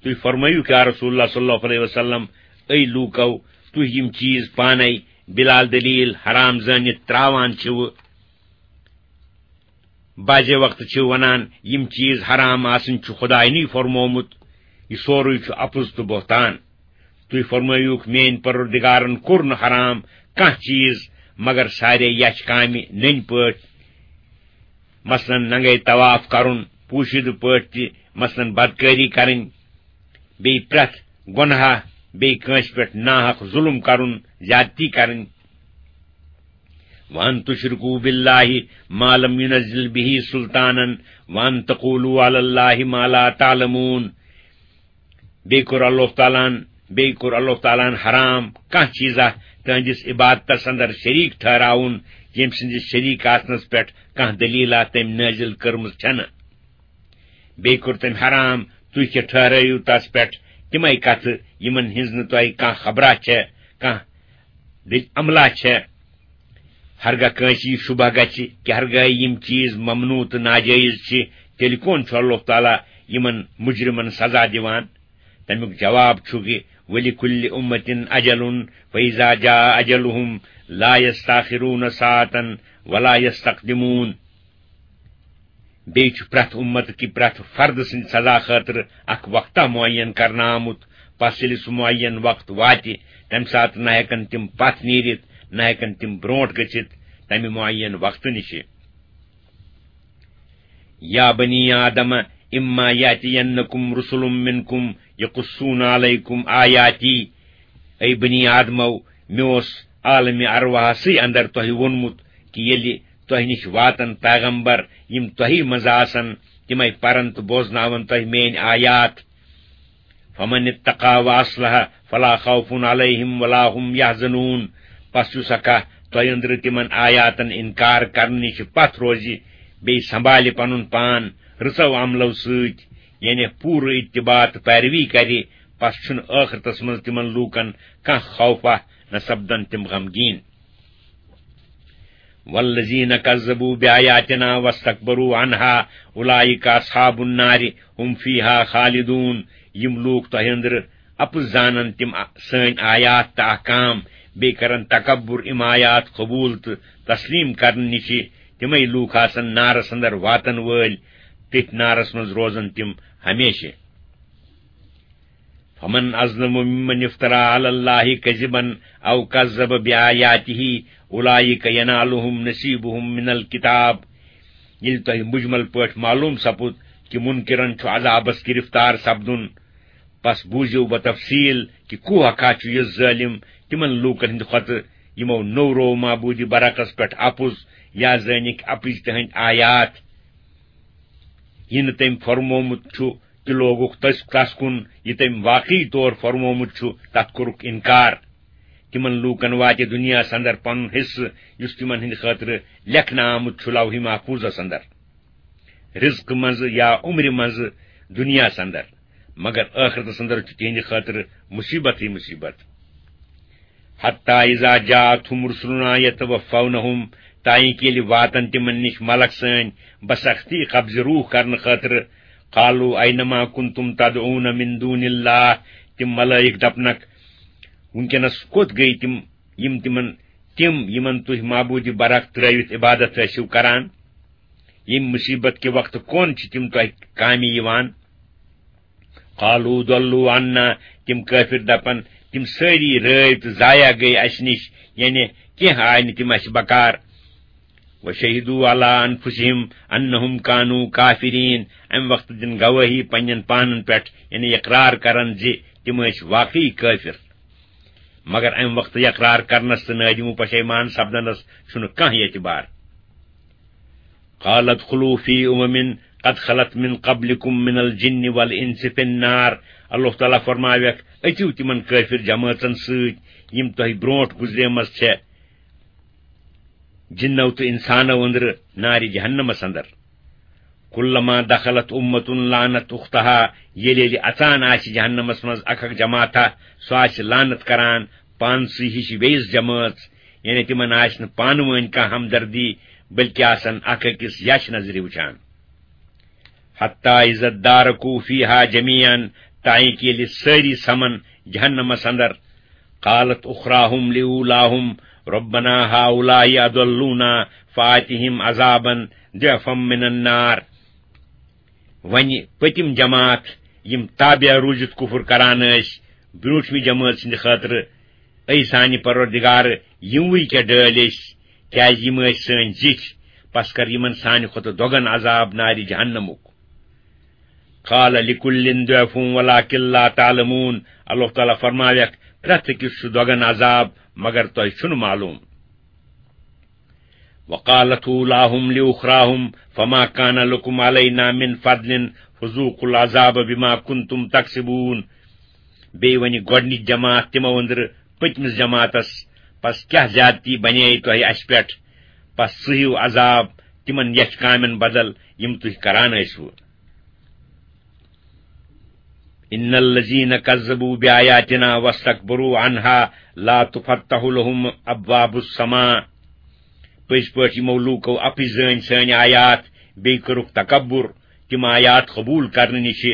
تُہۍ فرمٲیِو، یا رسول اللہ صلی اللہ علیہ وسلم، اے لوٗکو، تُہۍ یِم چیٖز پانے بلا دلیل حرام زٲنِتھ تراوان چھِوٕ۔ بعضے وقتہٕ چھِو ونان، یِم چیٖز حرام آسٕنۍ چھُ خداینٕے فرمومُت، یہِ سورُے چھُ اپُز تہٕ بہتان۔ تُہۍ فرمٲیِوکھ، میٲنۍ پروردگارن کوٚر نہٕ حرام کانٛہہ چیٖز مگر سارے یچھ کامہِ نٔنۍ پٲٹھۍ، مثلاً ننگے طواف کرُن، پوشیدٕ پٲٹھۍ تہِ، مثلاً بدکٲری کرٕنۍ، بیٚیہِ پرٛٮ۪تھ گۄناہ، بیٚیہِ کٲنٛسہِ پٮ۪ٹھ ناحق ظُلُم کرُن، زیادتی کرٕنۍ۔ "وأن تشركوا بالله ما لم ينزل به سلطانا وأن تقولوا على الله ما لا تعلمون"، بیٚیہِ کوٚر اللہ تعالیٰ ہن، بیٚیہِ کوٚر اللہ تعالیٰ ہن حرام کانٛہہ چیٖزا تہنٛدِس عبادتس اندر شریٖک ٹھہراوُن، ییٚمہِ سٕنٛدِس شریٖک آسنس پٮ۪ٹھ کانٛہہ دٔلیٖلا تٔمۍ نٲزِل کٔرمٕژ چھنہٕ۔ بیٚیہِ کوٚر تٔمۍ حرام، تُہۍ کیٛاہ ٹھہرٲیِو تس پٮ۪ٹھ تِمے کتھٕ، یِمن ہٕنٛز نہٕ تۄہہِ کانٛہہ خبرا چھےٚ، کانٛہہ دٔج عملہ چھےٚ۔ ہرگاہ کٲنٛسہِ یہِ شبہ گژھِ کہِ ہرگاہ یِم چیٖز ممنوع تہٕ ناجٲیز چھِ، تیٚلہِ کون چھُ اللہ تعالیٰ یِمن مجرمن سزا دِوان؟ تمیُک جواب چھُ کہِ، "ولكل أمة أجل فإذا جاء أجلهم لا يستأخرون ساعة ولا يستقدمون"۔ بیٚیہِ چھُ پرٛٮ۪تھ اُمت کہِ پرٛٮ۪تھ فرد سٕنٛدِ سزا خٲطرٕ اکھ وقتہ معین کرنہٕ آمُت۔ پس ییٚلہِ سُہ معین وقت واتہِ، تمہِ ساتہٕ نہ ہٮ۪کن تِم پتھ نیٖرِتھ، نہ ہٮ۪کن تِم برونٛٹھ گٔژھِتھ تمہِ معین وقتہٕ نِشہِ۔ "يا بني آدم إما يأتينكم رسل منكم يقصون عليكم آياتي"، اے بنی آدمو، مےٚ اوس عالمِ ارواحسٕے اندر تۄہہِ ووٚنمُت کہِ ییٚلہِ تۄہہِ نِش واتن پیغمبر، یِم تۄہہِ منٛز آسن، تِمے پرن تہٕ بوزناون تۄہہِ میٲنۍ آیات۔ "فمن اتقى وأصلح فلا خوف عليهم ولا هم يحزنون"، پس یُس ہا کانٛہہ تۄہہِ أنٛدرٕ تِمن آیاتن انکار کرنہٕ نِش پتھ روزِ، بیٚیہِ سنبھالہِ پنُن پان رٕژو عملو سۭتۍ، یعنی پوٗرٕ اتباع تہٕ پیروی کرِ، پس چھُنہٕ ٲخرتس منٛز تِمن لوٗکن کانٛہہ خوفا، نہ سپدن تِم غمگیٖن۔ والذین کذبوا بآیاتنا واستکبروا عنها اولئک اصحاب النار هم فیها خالدون۔ یِم لوٗکھ تۄہہِ أنٛدرٕ اَپُز زانن، تِم آ-، سٲنۍ آیات تہٕ احکام، بیٚیہِ کرن تکبر یِم آیات قبوٗل تہٕ تسلیٖم کرنہٕ نِشہِ، تِمے لوٗکھ آسن نارس اندر واتن وٲلۍ، تٔتھۍ نارس منٛز روزن تِم ہمیشہِ۔ فمن اظلم ممن افترى على الله كذبا او كذب بآياته اولئك ينالهم نصيبهم من الكتاب۔ ییٚلہِ تۄہہِ مجمل پٲٹھۍ معلوم سپُد کہِ منکرن چھُ عذابس گرفتار سپدُن، پس بوٗزِو بتفصیل کہِ کوٗ ہکھا چھُ یُس ظٲلم تِمن لوٗکن ہٕنٛدِ کھۄتہٕ، یِمو نوٚو روو معبوٗدِ برحقس پٮ۪ٹھ اپُز یا زٲنِکھ اپٕزۍ تِہنٛدۍ آیات۔ یہِ نہٕ تٔمۍ فرمومُت چھُ، تہِ لوگُکھ تس، تس کُن، یہِ تٔمۍ واقعی طور فرمومُت چھُ، تتھ کوٚرُکھ انکار۔ تِمن لوٗکن واتہِ دُنیاہس اندر پنُن حصہٕ، یُس تِمن ہٕنٛدِ خٲطرٕ لیکھنہٕ آمُت چھُ لوحِ محفوظس اندر، رزقہٕ منٛزٕ یا عمرِ منٛزٕ دُنیاہس اندر، مگر ٲخرتس اندر چھُ تِہنٛدِ خٲطرٕ مصیبتٕے مصیبت۔ حتی اذا جاءتهم رسلنا یتوفونہم، تائیں کہ ییٚلہِ واتن تِمن نِش ملک سٲنۍ بسختی قبضہٕ روح کرنہٕ خٲطرٕ، قالوا اینما کنتم تدعون من دون اللہ، تِم ملائک دپنکھ، وٕنکیٚنس کوٚت گٔے تِم، یِم تِمن، تِم یِمن تُہۍ معبوٗدِ برحق ترٲوِتھ عبادت ٲسِو کران؟ ییٚمہِ مصیبت کہِ وقتہٕ کون چھِ تِم تۄہہِ کامہِ یِوان؟ قالوا ضلوا عنا، تِم کٲفِر دپن، تِم سٲری رٲوۍ تہٕ ضایع گٔے اسہِ نِش، یعنی کینٛہہ آے نہٕ تِم اسہِ بکار۔ وشہدوا علی انفسہم انہم کانوا کافرین، امہِ وقتہٕ دِن گوٲہی پننٮ۪ن پانن پٮ۪ٹھ، یعنی اقرار کرن زِ تِم ٲسۍ واقعی کٲفِر۔ مگر امہِ وقتہٕ اقرار کرنس تہٕ نٲدِم و پشیمان سپدنس چھُنہٕ کانٛہہ اعتبار۔ قال ادخلوا فی امم قد خلت من قبلکم من الجن والانس فی النار۔ اللہ تعالیٰ فرماویکھ، أژِو تِمن کٲفِر جمٲژن سۭتۍ، یِم تۄہہِ برونٛٹھ گُزریمٕژ چھےٚ، جِنو تہٕ اِنسانو أنٛدرٕ نارِ جہنمس اندر۔ کلما دخلت امة لعنت اختها، ییٚلہِ ییٚلہِ اژان آسہِ جہنمس منٛز اکھ اکھ جماعتہ، سُہ آسہِ لعنت کران پانسٕے ہِش بیٚیِس جمٲژ، یعنی تِمن آسہِ نہٕ پانہٕ وٲنۍ کانٛہہ ہمدردی، بلکہِ آسن اکھ أکِس یچھ نظرِ وٕچھان۔ حتی اذا ادارکوا فیہا جمیعا، تائیں کہ ییٚلہِ سٲری سمن جہنمس اندر، قالت اخراہم لاولاہم ربنا ہؤلاء اضلونا فآتہم عذابا ضعفا من النار۔ وۄنۍ پٔتِم جماعت، یِم تابع روٗزِتھ کفر کران ٲسۍ برونٛٹھمہِ جمٲژ ہٕنٛدِ خٲطرٕ، اے سانہِ پروردگار، یِموٕے کیٛاہ ڈٲلۍ أسۍ، کیٛازِ یِم ٲسۍ سٲنۍ زِٹھۍ، پس کر یِمن سانہِ کھۄتہٕ دۄگن عذاب نارِ جہنمُک۔ قال لکل ضعف ولکن لا تعلمون، اللہ تعالیٰ فرماویکھ، پرٛٮ۪تھ أکِس چھُ دۄگن عذاب، مگر تۄہہِ چھُنہٕ معلوم۔ وقالت اولاہم لاخراہم فما کان لکم علینا من فضل فذوقوا العذاب بما کنتم تکسبون۔ بیٚیہِ ونہِ گۄڈٕنِچ جماعت تِمو أنٛدرٕ پٔتمِس جماعتس، پس کیٛاہ زیادتی بنے تۄہہِ اسہِ پٮ۪ٹھ؟ پس سُہ ہیو عذاب تِمن یتھ کامٮ۪ن بدل، یِم تُہۍ کران ٲسوٕ۔ ان الذين كذبوا بآياتنا واستكبروا عنها لا تفتح لهم ابواب السماء۔ پٔزۍ پٲٹھۍ یِمو لوٗکو اپٕزۍ زٲنۍ سٲنۍ آیات، بیٚیہِ کٔرٕکھ تکبر، تِم آیات قبوٗل کرنہٕ نِش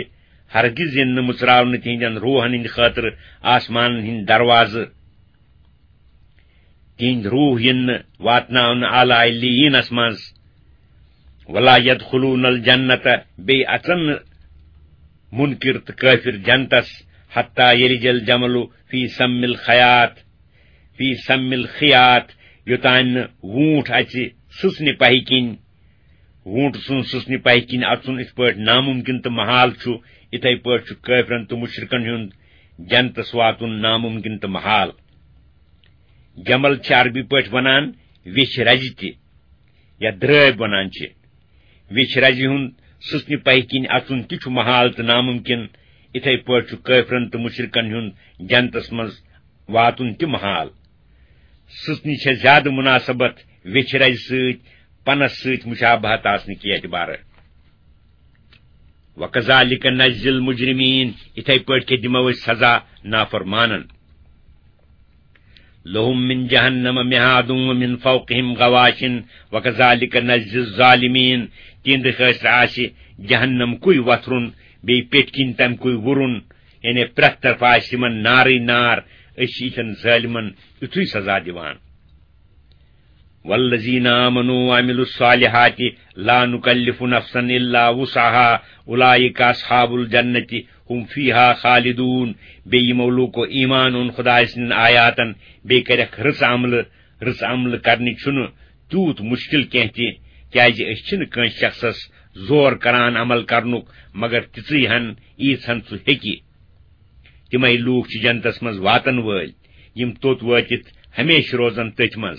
ہرگز یِن نہٕ مُژراونہٕ تِہنٛدٮ۪ن روحن ہٕنٛدِ خٲطرٕ آسمانن ہٕنٛدۍ دروازٕ۔ تِہنٛدۍ روح یِن نہٕ واتناونہٕ اعلیٰ علیٖنس منٛز۔ ولا يدخلون الجنة، بیٚیہِ اژن نہٕ مُنکِر تہٕ کٲفِر جنتس، حتیٰ یلج الجمل فی سم الخیاط، فی سم الخیاط، یوٚتام نہٕ ووٗنٛٹھ اژِ سٕژنہِ پہہِ کِنۍ۔ ووٗنٛٹھ سُنٛد سٕژنہِ پہہِ کِنۍ اژُن یِتھ پٲٹھۍ نامُمکِن تہٕ محال چھُ، یِتھے پٲٹھۍ چھُ کٲفرن تہٕ مُشرِکن ہُنٛد جنتس واتُن نامُمکِن تہٕ محال۔ جمل چھِ عربی پٲٹھۍ ونان ویچھِ رزِ تہِ، یا درٲبۍ ونان چھِ۔ ویچھِ رزِ ہُنٛد سٕژنہِ پہہِ کِنۍ اژُن تہِ چھُ محال تہٕ نامُمکِن، یِتھے پٲٹھۍ چھُ کٲفرن تہٕ مُشرِکن ہُنٛد جنتس منٛز واتُن تہِ محال۔ سٕژنہِ چھےٚ زیادٕ مُناسبت ویچھِ رزِ سۭتۍ، پنس سۭتۍ مُشابہت آسنہٕ کہِ اعتبارٕ۔ وَكَذَلِكَ نَجْزِي الْمُجْرِمِينَ، یِتھے پٲٹھۍ کہِ دِمو أسۍ سزا نافرمانن۔ لهم من جهنم مهاد ومن فوقهم غواش وكذلك نجزي الظالمين۔ تِہنٛدِ خٲطرٕ آسہِ جہنم کُے وۄتھرُن، بیٚیہِ پیٚٹھۍ کِنۍ تَمہِ کُے وُرُن، یعنی پرٛٮ۪تھ طرفہٕ آسہِ یِمن نارٕے نار۔ أسۍ چھِ یِتھٮ۪ن ظٲلمن یُتھُے سزا دِوان۔ والذين آمنوا وعملوا الصالحات لا نكلف نفسا إلا وسعها أولئك أصحاب الجنة هم فيها خالدون۔ بیٚیہِ یِمو لوٗکو ایمان اوٚن خدایہِ سٕنٛدٮ۪ن آیاتن، بیٚیہِ کَرٮ۪کھ رٕژ عملہٕ۔ رٕژ عملہٕ کرنہِ چھُنہٕ تیوٗت مُشکِل کینٛہہ تہِ، کیازِ أسۍ چھِنہٕ کٲنٛسہِ شخصس زور کران عمل کرنُک، مگر تِژٕے ہن، ییٖژ ہن سُہ ہیٚکہِ۔ تِمے لوٗکھ چھِ جنتس منٛز واتن وٲلۍ، یِم توٚت وٲتِتھ ہمیشہٕ روزن تٔتھۍ منٛز۔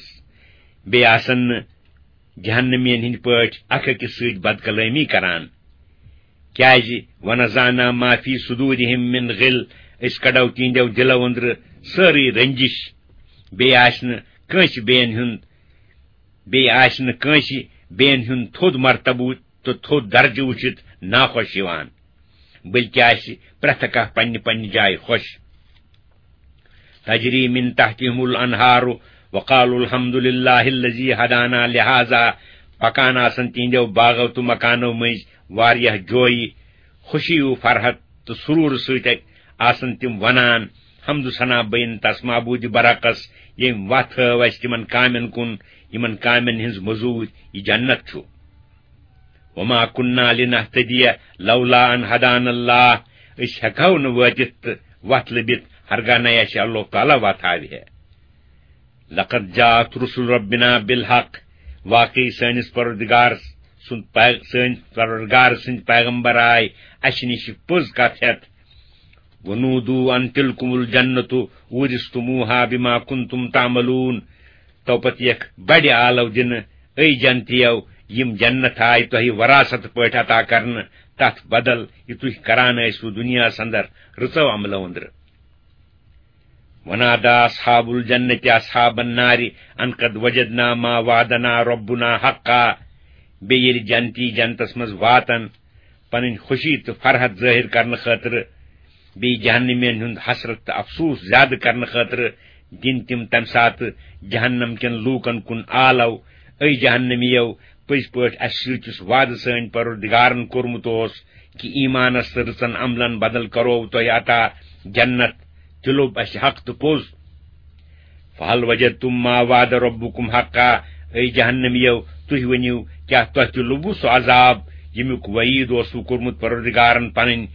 بیٚیہِ آسن نہٕ جہنمین ہٕنٛدۍ پٲٹھۍ اکھ أکِس سۭتۍ بدکلٲمی کران۔ کیازِ، ونزعنا ما فی صدورہم من غل، أسۍ کڑو تِہنٛدیو دِلو أنٛدرٕ سٲرٕے رنجش۔ بیٚیہِ آسہِ نہٕ کٲنٛسہِ بیٚین ہُنٛد، بیٚیہِ آسہِ نہٕ کٲنٛسہِ بیٚین ہُنٛد تھوٚد مرتبہٕ تہٕ تھوٚد درجہٕ وٕچھِتھ ناخۄش یِوان، بلکہِ آسہِ پرٛٮ۪تھ کانٛہہ پننہِ پننہِ جایہِ خۄش۔ تجری من تحتہم الانہار وقالوا الحمد للہ الذی ہدانا لہذا، پکان آسن تِہنٛدیو باغو تہٕ مکانو مٔنٛزۍ واریاہ جویہِ، خوشی و فرحت تہٕ سرور سۭتۍ آسن تِم ونان، حمد و ثنا بین تس معبود برحقس، ییٚمۍ وتھ ہٲو اسہِ تِمن کامٮ۪ن کُن، یِمن کامٮ۪ن ہٕنٛز مٔزوٗرۍ یہِ جنت چھُ۔ وما كنا لنهتدي لولا أن هدانا الله، أسۍ ہٮ۪کہو نہٕ وٲتِتھ تہٕ وَتھ لٔبِتھ، ہرگاہ نَے اَسہِ اللہ تعالیٰ وَتھ ہاوِ ہے۔ لقد جاءت رسل ربنا بالحق، واقعی سٲنِس پروردگار سُنٛد پے-، سٲنۍ پروردگار سٕنٛدۍ پیغمبر آے اَسہِ نِش پوٚز کَتھ ہٮ۪تھ۔ ونودوا أن تلكم الجنة أورثتموها بما كنتم تعملون۔ تو پتہٕ یکھ بڑِ آلو دِنہٕ، اے جنتیو، یِم جنت آے تۄہہِ وراثت پٲٹھۍ عطا کرنہٕ، تتھ بدل یہِ تُہۍ کران ٲسوٕ دُنیاہس اندر رٕژو عملو أنٛدرٕ۔ ونادى أصحاب الجنة أصحاب النار أن قد وجدنا ما وعدنا ربنا حقا۔ بیٚیہِ ییٚلہِ جنتی جنتس منٛز واتن، پنٕنۍ خوشی تہٕ فرحت ظٲہِر کرنہٕ خٲطرٕ، بیٚیہِ جہنمین ہُنٛد حسرت تہٕ افسوس زیادٕ کرنہٕ خٲطرٕ دِن تِم تمہِ ساتہٕ جہنم کٮ۪ن لوٗکن کُن آلو، اے جہنمیو، پٔزۍ پٲٹھۍ اسہِ سۭتۍ یُس وعدٕ سٲنۍ پروردگارن کوٚرمُت اوس کہِ ایمانس تہٕ رٕژن عملن بدل کرو تۄہہِ عطا جنت، تہِ لوٚب اسہِ حق تہٕ پوٚز۔ فہل وجدتم ما وعد ربکم حقا، اے جہنمیو، تُہۍ ؤنِو، کیٛاہ تۄہہِ تہِ لوٚبوُ سُہ عذاب، ییٚمیُک وعیٖد اوسوٕ کوٚرمُت پروردگارن پنٕنۍ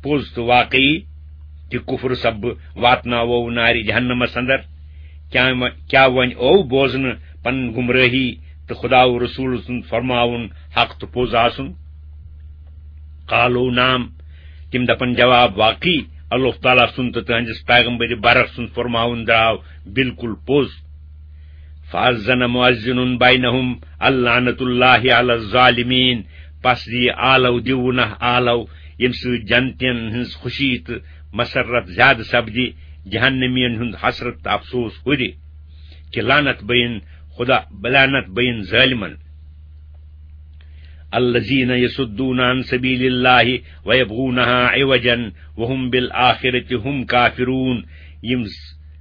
پوٚز تہٕ واقعی؟ تہِ کفر سببہٕ واتناوو نارِ جہنمس اندر۔ کیٛاہ و-، کیٛاہ وۄنۍ ٲو بوزنہٕ پنٕنۍ گمرٲہی تہٕ خدا و رسول سُنٛد فرماوُن حق تہٕ پوٚز آسُن؟ قالوا نعم، تِم دپن جواب، واقعی اللہ تعالیٰ سُنٛد تہٕ تہنٛدِس پیغمبر برحق سُنٛد فرماوُن درٛاو بالکل پوٚز۔ فاذن مؤذن بینہم اللعنۃ اللہ علی الظالمین، پس دِیہِ آلو، دِیِو نہ آلو، ییٚمہِ سۭتۍ جنتین ہٕنٛز خوشی تہٕ مسرت زیادٕ سپدِ، جہنمین ہُنٛد حسرت تہٕ افسوس ہُرِ، کہِ لعنت بین خدا، لعنت بین ظٲلمن۔ الذين يصدون عن سبيل الله ويبغونها عوجا وهم بالآخرة هم كافرون۔ یِم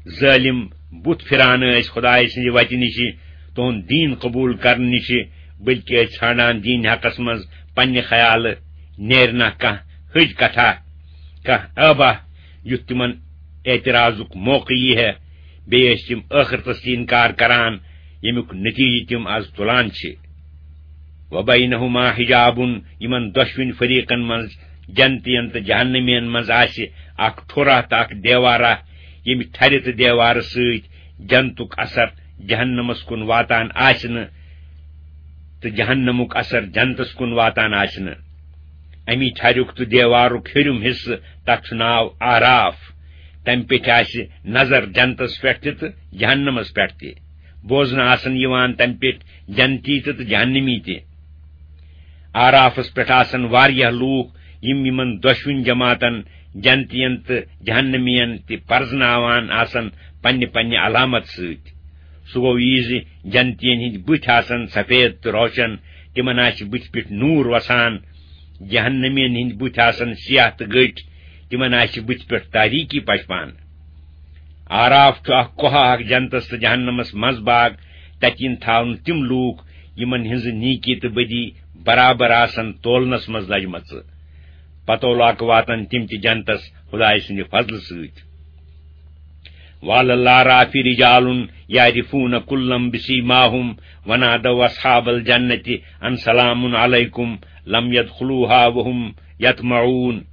ظٲلِم بُتھ پھِران ٲسۍ خۄدایہِ سٕنٛزِ وَتہِ نِشہِ، تُہُنٛد دیٖن قبوٗل کرنہٕ نِشہِ، بلکہِ ٲسۍ ژھانٛڈان دیٖن حقس منٛز پننہِ خیالہٕ نیرِ نہ کانٛہہ ۂج کتھا، کانٛہہ ٲبہ، یُتھ تِمن اعتراضُک موقعہٕ یی ہے۔ بیٚیہِ ٲسۍ تِم ٲخرتس تہِ انکار کران، ییٚمیُک نتیجہٕ تِم از تُلان چھِ۔ وبینہما حجاب، یِمن دۄشوٕنۍ فریقن منٛز، جنتین تہٕ جہنمین منٛز، آسہِ اکھ ٹھوٚرا تہٕ اکھ دیوارا، ییٚمہِ ٹھرِ تہٕ دیوارٕ سۭتۍ جنتُک اثر جہنمس کُن واتان آسہِ نہٕ تہٕ جہنمُک اثر جنتس کُن واتان آسہِ نہٕ۔ امی ٹھریُک تہٕ دیوارُک ہیٚرِم حصہٕ، تتھ چھُ ناو آراف۔ تمہِ پیٚٹھۍ آسہِ نظر جنتس پٮ۪ٹھ تہِ تہٕ جہنمس پٮ۪ٹھ تہِ۔ بوزنہٕ آسن یِوان تمہِ پیٚٹھۍ جنتی تہِ تہٕ جہنمی تہِ۔ آرافس پٮ۪ٹھ آسن واریاہ لوٗکھ، یِم یِمن دۄشوٕنۍ جماعتن، جنتین تہٕ جہنمین، تہِ پرزناوان آسن پننہِ پننہِ علامت سۭتۍ۔ سُہ گوٚو یہِ زِ جنتین ہٕنٛدۍ بُتھۍ آسن سفید تہٕ روشن، تِمن آسہِ بُتھِ پٮ۪ٹھ نوٗر وسان۔ جہنمین ہٕنٛدۍ بُتھۍ آسن سیاہ تہٕ گٔٹۍ، تِمن آسہِ بُتھِ پٮ۪ٹھ تاریٖکی پشپان۔ آراف چھُ اکھ کوہ اکھ جنتس تہٕ جہنمس منٛز باگ۔ تتہِ یِن تھاونہٕ تِم لوٗکھ، یِمن ہٕنٛزٕ نیکی تہٕ بدی برابر آسن تولنس منٛز لجمژٕ۔ پتہٕ لوکہٕ واتن تِم تہِ جنتس خدایہِ سٕنٛدِ فضلہٕ سۭتۍ۔ وعلى الأعراف رجال يعرفون كلا بسيماهم ونادوا أصحاب الجنة أن سلام عليكم لم يدخلوها وهم يطمعون۔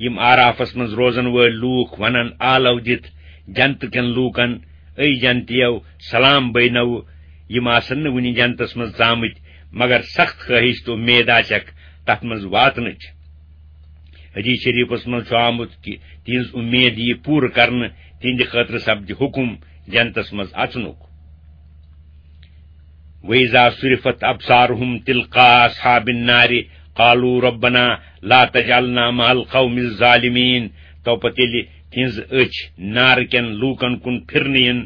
یِم آرافس منٛز روزن وٲلۍ لوٗکھ ونن آلو دِتھ جنتہٕ کٮ۪ن لوٗکن، اے جنتیو، سلام بینو۔ یِم آسن نہٕ وُنہِ جنتس منٛز ژامٕتۍ، مگر سخت خٲہِش تہٕ اُمید آسٮ۪کھ تتھ منٛز واتنٕچ۔ حدیث شریفس منٛز چھُ آمُت کہِ تِہنٛز اُمید یِیہِ پوٗرٕ کرنہٕ، تِہنٛدِ خٲطرٕ سپدِ حُکم جنتس منٛز اژنُک۔ وَإِذَا صُرِفَتْ أَبْصَارُهُمْ تِلْقَاءَ أَصْحَابِ النَّارِ قَالُوا رَبَّنَا لَا تَجْعَلْنَا مَعَ الْقَوْمِ الظَّالِمِينَ۔ تو پتہٕ ییٚلہِ تِہنٛز أچھ نارٕ کٮ۪ن لوٗکن کُن پھِرنہٕ یِن،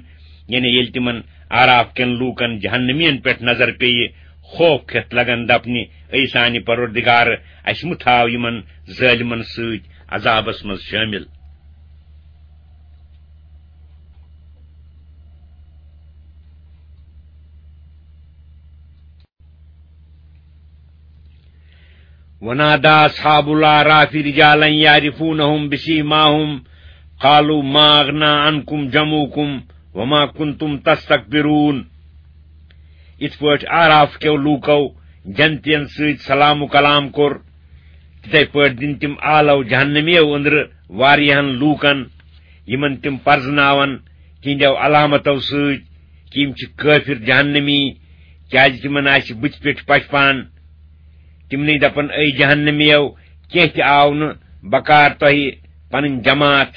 یعنی ییٚلہِ تِمن آراف کٮ۪ن لوٗکن جہنمین پٮ۪ٹھ نظر پیٚیہِ، خوف کھٮ۪تھ لگن دپنہِ، اے سانہِ پروردگار، اسہِ مہٕ تھاو یِمن ظٲلمن سۭتۍ عذابس منٛز شٲمِل۔ ونادى أصحاب الأعراف رجالا يعرفونهم بسيماهم قالوا ما أغنى عنكم جمعكم وما كنتم تستكبرون۔ یِتھ پٲٹھۍ آراف کیو لوٗکو جنتین سۭتۍ سلام و کلام کوٚر، تِتھے پٲٹھۍ دِن تِم آلو جہنمیو أنٛدرٕ واریاہن لوٗکن، یِمن تِم پرزناون تِہنٛدیو علامتو سۭتۍ کہِ یِم چھِ کٲفِر جہنمی، کیازِ تِمن آسہِ بٕتھِ پٮ۪ٹھ پشپان۔ تِمنٕے دپن، اے جہنمیو، کینٛہہ تہِ آو نہٕ بکار تۄہہِ پنٕنۍ جماعت،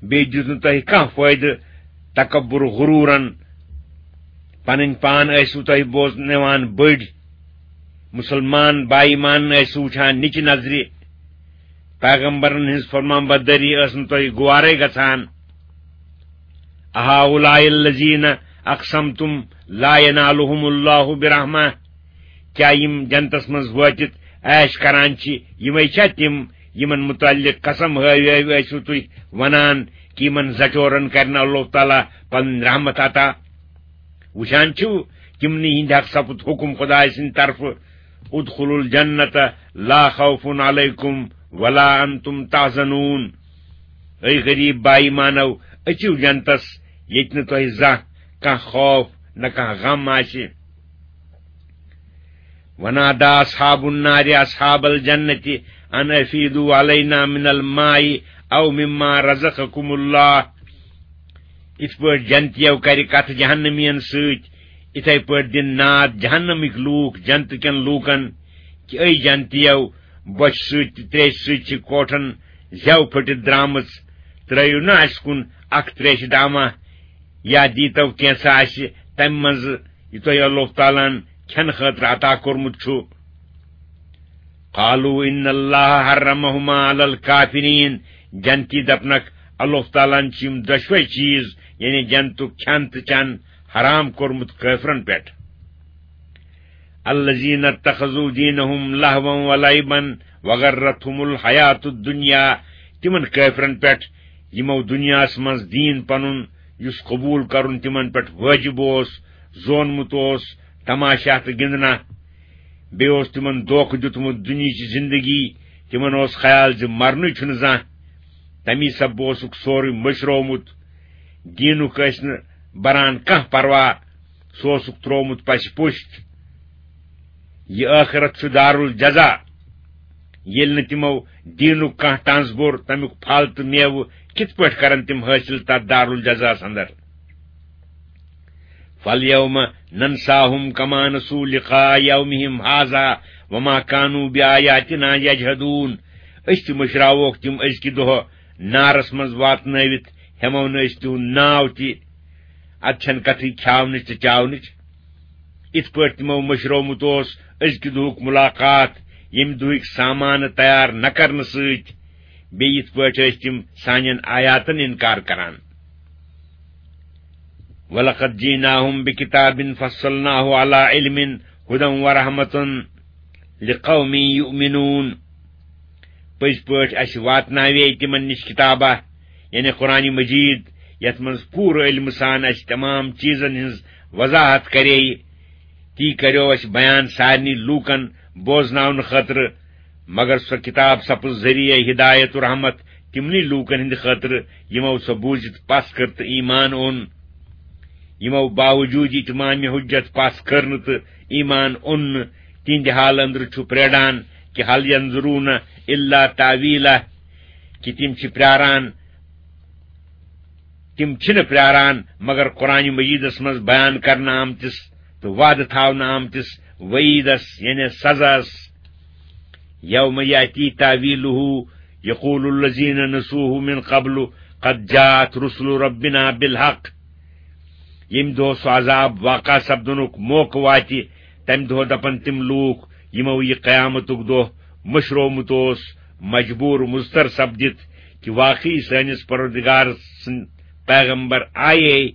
بیٚیہِ دیُت نہٕ تۄہہِ کانٛہہ فٲیدٕ تکبر غرورن۔ پنٕنۍ پان ٲسِو تۄہہِ بوزناوان بٔڑۍ، مُسلمان با ایمان ٲسِو وٕچھان نِچہِ نظرِ، پیغمبرن ہٕنٛز فرمان بردٲری ٲس نہٕ تۄہہِ گوارے گژھان۔ أهؤلاء الذين أقسمتم لا ينالهم الله برحمة؟ کیا یِم جنتس منٛز وٲتِتھ عیش کران چھِ، یِمے چھا تِم یِمن متعلق قسم ہٲوۍ ہٲوۍ ٲسِو تُہۍ ونان کہِ یِمن زچورن کرِ نہٕ اللہ تعالیٰ پنٕنۍ رحمت عطا؟ وٕچھان چھِو، تِمنٕے ہِنٛدِ حق سپُد حُکم خدایہِ سٕنٛدِ طرفہٕ، ادخلوا الجنة لا خوف عليكم ولا أنتم تحزنون۔ اے غریب با ایمانو، أژِو جنتس، ییٚتہِ نہٕ تۄہہِ زانٛہہ کانٛہہ خوف نہ کانٛہہ غم آسہِ۔ ونادى أصحاب النار أصحاب الجنة أن أفيضوا علينا من الماء أو مما رزقكم الله۔ یِتھ پٲٹھۍ جنتیو کرِ کتھ جہنمین سۭتۍ، یِتھے پٲٹھۍ دِن ناد جہنمٕکۍ لوٗکھ جنتہٕ کٮ۪ن لوٗکن کہِ، اے جنتیو، بۄچھِ سۭتۍ تہٕ تریشہِ سۭتۍ چھِ کوٹھن زٮ۪و پھٔٹِتھ درامٕژ، ترٲیِو نہ اسہِ کُن اکھ تریشہِ دامہ، یا دیٖتو کینٛژھا اسہِ تمہِ منٛزٕ یہِ تۄہہِ اللہ تعالیٰ ہن کھٮ۪نہٕ خٲطرٕ عطا کوٚرمُت چھُ۔ قالوا إن الله حرمهما على الكافرين۔ جنتی دپنکھ، اللہ تعالیٰ ہن چھِ یِم دۄشوے چیٖز، یعنی جنتُک کھٮ۪ن تہٕ چٮ۪ن، حرام کوٚرمُت کٲفرن پٮ۪ٹھ۔ الذين اتخذوا دينهم لهوا ولعبا وغرتهم الحياة الدنيا۔ تِمن کٲفرن پٮ۪ٹھ، یِمو دُنیاہس منٛز دیٖن پنُن، یُس قبوٗل کرُن تِمن پٮ۪ٹھ وٲجِب اوس، زونمُت اوس، تماشہ تہٕ گِنٛدنہ۔ بیٚیہِ اوس تِمن دھوکہٕ دیُتمُت دُنیہٕچ زندگی۔ تِمن اوس خیال زِ مرنُے چھُنہٕ زانٛہہ۔ تمی سببہٕ اوسُکھ سورُے مٔشرومُت۔ دیٖنُک ٲسۍ نہٕ بران کانٛہہ پرواہ۔ سُہ اوسُکھ تروومُت پسہِ پُشت۔ یہِ ٲخرت چھُ دارالجزا۔ ییٚلہِ نہٕ تِمو دیٖنُک کانٛہہ ٹنٛز بوٚر، تمیُک پھل تہٕ میوٕ کِتھ پٲٹھۍ کرن تِم حٲصِل تتھ دارالجزاہس اندر؟ فَالْيَوْمَ نَنْسَاهُمْ كَمَا نَسُوا لِقَاءَ يَوْمِهِمْ هَذَا وَمَا كَانُوا بِآيَاتِنَا يَجْحَدُونَ۔ أسۍ تہِ مٔشراووکھ تِم أزکہِ دۄہ نارس منٛز واتنٲوِتھ، ہٮ۪مو نہٕ أسۍ تِہُنٛد ناو تہِ۔ اتھ چھنہٕ کتھٕے کھیاونٕچ تہٕ چاونٕچ۔ یِتھ پٲٹھۍ تِمو مٔشرومُت اوس أزکہِ دۄہُک مُلاقات، ییٚمہِ دۄہٕکۍ سامانہٕ تیار نہ کرنہٕ سۭتۍ، بیٚیہِ یِتھ پٲٹھۍ ٲسۍ تِم سانٮ۪ن آیاتن انکار کران۔ وَلَقَدْ جِئْنَاهُمْ بِكِتَابٍ فَصَّلْنَاهُ عَلَىٰ عِلْمٍ هُدًى وَرَحْمَةً لِقَوْمٍ يُؤْمِنُونَ۔ پٔزۍ پٲٹھۍ اَسہِ واتناوے تِمن نِش کِتابہ، یعنی قرآن مجید، یتھ منٛز پوٗرٕ علمہٕ سان اسہِ تمام چیزن ہٕنٛز وضاحت کرے، تی کریو اسہِ بیان سارنٕے لوٗکن بوزناونہٕ خٲطرٕ۔ مگر سۄ کتاب سپٕز ذٔریعہٕ ہدایت و رحمت تِمنٕے لوٗکن ہٕنٛدِ خٲطرٕ، یِمو سۄ بوٗزِتھ پژھ کٔر تہٕ ایمان اوٚن۔ یِمو باوجود اتمام حجت پژھ کٔر نہٕ تہٕ ایمان اوٚن نہٕ، تِہنٛدِ حالہٕ أنٛدرٕ چھُ پریڑان کہِ هل ينظرون إلا تأويله، کہِ تِم چھِ پراران، تِم چھِنہٕ پراران مگر قرآن مجیدس منٛز بیان کرنہٕ آمتِس تہٕ وعدٕ تھاونہٕ آمتِس وعیدس، یعنی سزاہس۔ يوم يأتي تأويله يقول الذين نسوه من قبل قد جاءت رسل ربنا بالحق۔ ییٚمہِ دۄہ سُہ عذاب واقع سپدنُک موقعہٕ واتہِ، تمہِ دۄہ دپن تِم لوٗکھ، یِمو یہِ قیامتُک دۄہ مٔشرومُت اوس، مجبوٗر مضطر سپدِتھ، کہِ واقعی سٲنِس پروردگار سٕنٛدۍ پیغمبر آیے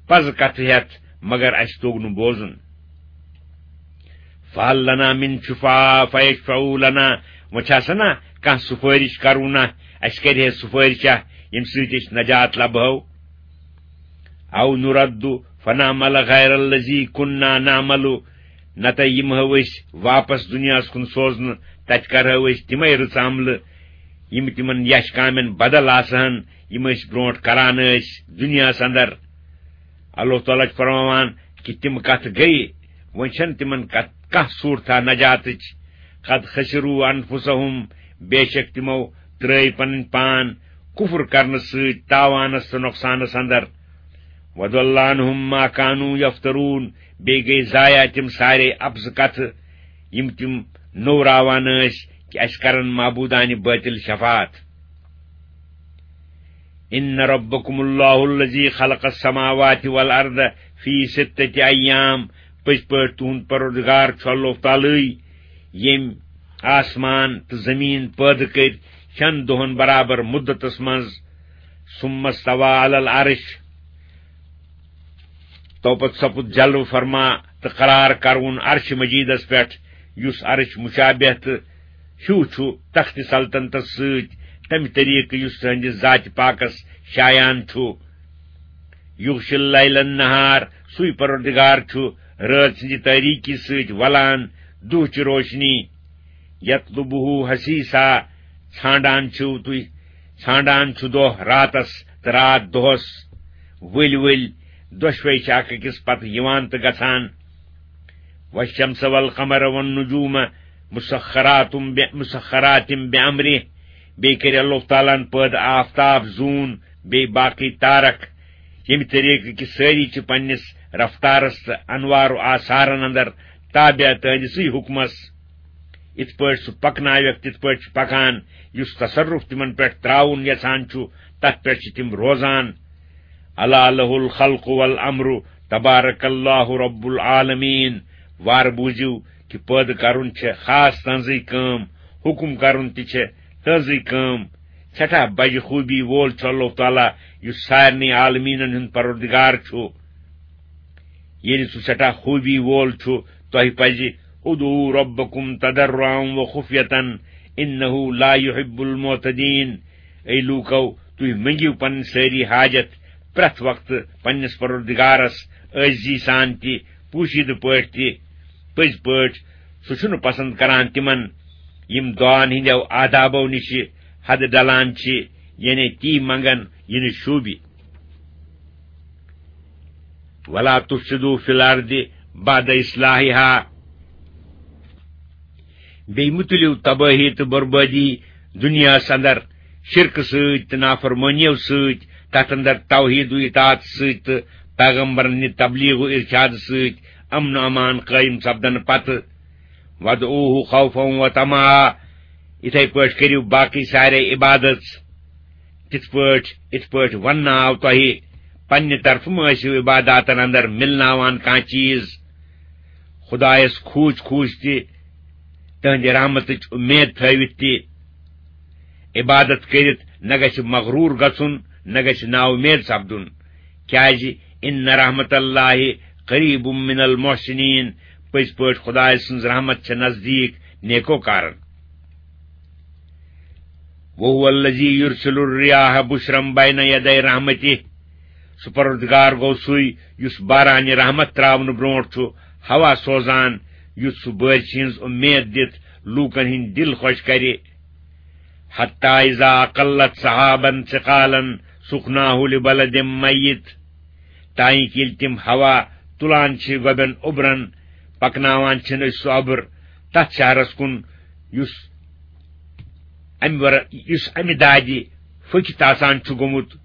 پزٕ کتھٕ ہٮ۪تھ، مگر اسہِ توٚگ نہٕ بوزُن۔ فهل لنا من شفعاء فيشفعوا لنا، وۄنۍ چھا سا نہ کانٛہہ سفٲرِش کرو نہ، اسہِ کرِ ہے سفٲرِشہ، ییٚمہِ سۭتۍ أسۍ نجات لبہو؟ أو نرد فنعمل غير الذي كنا نعمل، نتہٕ یِمہو أسۍ واپس دُنیاہس کُن سوزنہٕ، تتہِ کرہو أسۍ تِمے رٕژ عملہٕ، یِم تِمن یش کامٮ۪ن بدل آسہٕ ہن، یِم أسۍ برونٛٹھ کران ٲسۍ دُنیاہس اندر۔ اللہ تعالیٰ چھُ فرماوان کہِ تِم کتھ گٔیہِ، وۄنۍ چھنہٕ تِمن کتھ کانٛہہ صوٗرتھا نجاتٕچ۔ قد خسروا أنفسهم، بے شک تِمو ترٲوۍ پنٕنۍ پان کفر کرنہٕ سۭتۍ تاوانس تہٕ نۄقصانس اندر۔ وضل عنهم ما كانوا يفترون، بیٚیہِ گٔے ضایع تِم سارے اپزٕ کتھٕ، یِم تِم نوٚوراوان ٲسۍ کہِ اسہِ کرن معبوٗدانہِ بٲطِل شفاعت۔ إن ربكم الله الذي خلق السماوات والأرض في ستة أيام، پٔزۍ پٲٹھۍ تُہُنٛد پروردگار چھُ اللہ تعالیٰ، ییٚمۍ آسمان تہٕ زٔمیٖن پٲدٕ کٔرۍ شٮ۪ن دۄہن برابر مُدتس منٛز۔ ثم استوى على العرش، توپت سپُد جلوٕ فرما تہٕ قرار کرون عرش مجیدس پٮ۪ٹھ، یُس عرش مشابہ تہٕ ہیوٗ چھُ تخت سلطنتس سۭتۍ، تمہِ طریقہٕ یُس تہنٛدِس ذاتِ پاکس شایان چھُ۔ یغشی اللیل النہار، سُے پروردگار چھُ رٲژ ہٕنٛزِ تٲریٖکی سۭتۍ ولان دُہچہِ روشنی۔ یطلبہ حثیثا، ژھانڈان چھِو تُہۍ، ژھانڈان چھُ دۄہ راتس تہٕ راتھ دۄہس، ؤلۍ ؤلۍ، دۄشوے چھِ اکھ أکِس پتہٕ یِوان تہٕ گژھان۔ والشمس والقمر والنجوم مسخرات ب-، مسخرات بأمره، بیٚیہِ کٔرۍ اللہ تعالیٰ ہن پٲدٕ آفتاب، زوٗن، بیٚیہِ باقٕے تارک، ییٚمہِ طریقہٕ کہِ سٲری چھِ پننِس رفتارس تہٕ انوار و آثارن اندر تابع تہنٛدِسٕے حُکمس۔ یِتھ پٲٹھۍ سُہ پکناوٮ۪کھ، تِتھ پٲٹھۍ چھُ پکان، یُس تصرف تِمن پٮ۪ٹھ تراوُن یژھان چھُ، تتھ پٮ۪ٹھ چھِ تِم روزان۔ ألا له الخلق والأمر تبارك الله رب العالمين۔ وارٕ بوٗزِو کہِ پٲدٕ کرُن چھےٚ خاص تہنٛزٕے کٲم، حُکم کرُن تہِ چھےٚ تہنٛزٕے کٲم۔ سٮ۪ٹھاہ بجہِ خوٗبی وول چھُ اللہ تعالیٰ، یُس سارنٕے عالمیٖنن ہُنٛد پروردگار چھُ۔ ییٚلہِ سُہ سٮ۪ٹھاہ خوٗبی وول چھُ، تۄہہِ پزِ، ادعوا ربكم تضرعا وخفية إنه لا يحب المعتدين۔ اے لوٗکو، تُہۍ منٛگِو پنٕنۍ سٲری حاجت پرٛٮ۪تھ وقتہٕ پننِس پروردگارس عٲجزی سان تہِ، پوشیدٕ پٲٹھۍ تہِ۔ پٔزۍ پٲٹھۍ، سُہ چھُنہٕ پسند کران تِمن، یِم دعاہن ہٕنٛدٮ۪و آدابو نِشہِ حدٕ ڈلان چھِ، یعنی تی منٛگن یہِ نہٕ شوٗبہِ۔ ولا تفسدوا في الأرض بعد إصلاحها۔ بیٚیہِ مہٕ تُلِو تبٲہی تہٕ بربٲدی دُنیاہَس اندر شرکہٕ سۭتۍ تہٕ نافرمٲنیو سۭتۍ، تَتھ اندر توحید و اطاعت سۭتۍ تہٕ پیغمبرن ہٕنٛدِ تبلیغ و ارشاد سۭتۍ امن و امان قٲیِم سپدنہٕ پتہٕ۔ وادعوه خوفا وطمعا، یِتھے پٲٹھۍ کٔرِو باقٕے سارے عبادت۔ تِتھ پٲٹھۍ، یِتھ پٲٹھۍ وننہٕ آو تۄہہِ، پننہِ طرفہٕ مہٕ ٲسِو عباداتن اندر مِلناوان کانٛہہ چیٖز۔ خدایس کھوٗژ کھوٗژ تہِ، تہنٛدِ رحمتٕچ اُمید تھٲوِتھ تہِ۔ عبادت کٔرِتھ نہ گژھِ مغروٗر گژھُن، نہ گژھِ نااُمید سپدُن۔ کیازِ، ان رحمت اللہ قریب من المحسنین، پٔزۍ پٲٹھۍ خدایہِ سٕنٛز رحمت چھےٚ نزدیٖک نیکوکارن۔ وهو الذي يرسل الرياح بشرا بين يدي رحمته، سُہ پروردگار گوٚو سُے، یُس بارانہِ رحمت تراونہٕ برونٛٹھ چھُ ہوا سوزان، یُتھ سُہ بٲرِشہِ ہٕنٛز اُمید دِتھ لوٗکن ہٕنٛدۍ دِل خۄش کرِ۔ حتی اذا اقلت سحابا ثقالا سقناه لبلد میت، تانۍ ییٚلہِ تِم ہوا تُلان چھِ گۄبٮ۪ن اوٚبرن، پکناوان چھِن أسۍ سُہ اوٚبُر تتھ شہرس کُن، یُس امہِ ور-، یُس امہِ دادِ پھٔکِتھ آسان چھُ گوٚمُت۔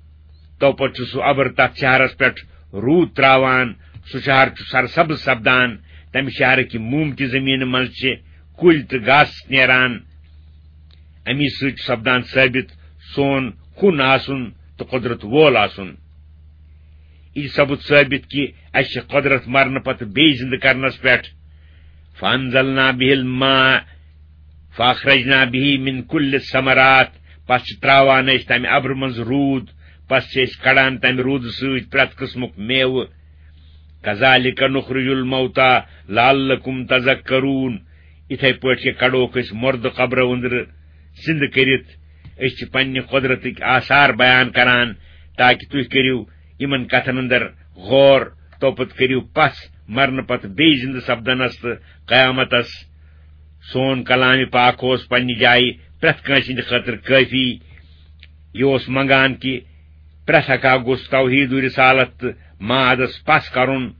تو پتہٕ چھُ سُہ اوٚبُر تتھ شہرس پٮ۪ٹھ روٗد تراوان۔ سُہ شہر چھُ سرسبز سپدان۔ تمہِ شہرٕکہِ موٗمتہِ زٔمیٖنہٕ منٛز چھِ کُلۍ تہٕ گاسہٕ نیران۔ امی سۭتۍ چھُ سپدان ثٲبت سون کُن آسُن تہٕ قۄدرت وول آسُن۔ یہِ چھُ سپُد ثٲبت کہِ اسہِ چھِ قۄدرت مرنہٕ پتہٕ بیٚیہِ زِندٕ کرنس پٮ۪ٹھ۔ فانزلنا بِهِ الْمَاءَ فَأَخْرَجْنَا بِهِ مِنْ كُلِّ الثَّمَرَاتِ، پس چھِ تراوان أسۍ تمہِ ابرٕ منٛز روٗد، پس چھِ أسۍ کڑان تمہِ روٗدٕ سۭتۍ پرٛٮ۪تھ قٕسمُک میوٕ۔ كَذَٰلِكَ نُخْرِجُ الْمَوْتَىٰ لَعَلَّكُمْ تَذَكَّرُونَ، یِتھے پٲٹھۍ کہِ کڑوکھ أسۍ مردٕ قبرو أنٛدرٕ زِندٕ کٔرِتھ۔ أسۍ چھِ پننہِ قۄدرتٕکۍ آثار بیان کران تاکہِ تُہۍ کٔرِو یِمن کتھن اندر غور، توپت کٔرِو پژھ مرنہٕ پتہٕ بیٚیہِ زِندٕ سپدنس تہٕ قیامتس۔ سون کلامِ پاک اوس پننہِ جایہِ پرٛٮ۪تھ کٲنٛسہِ ہٕنٛدِ خٲطرٕ کٲفی۔ یہِ اوس منگان کہِ پرٛٮ۪تھ اکھ گوٚژھ توحید و رسالت تہٕ معادس پژھ کرُن،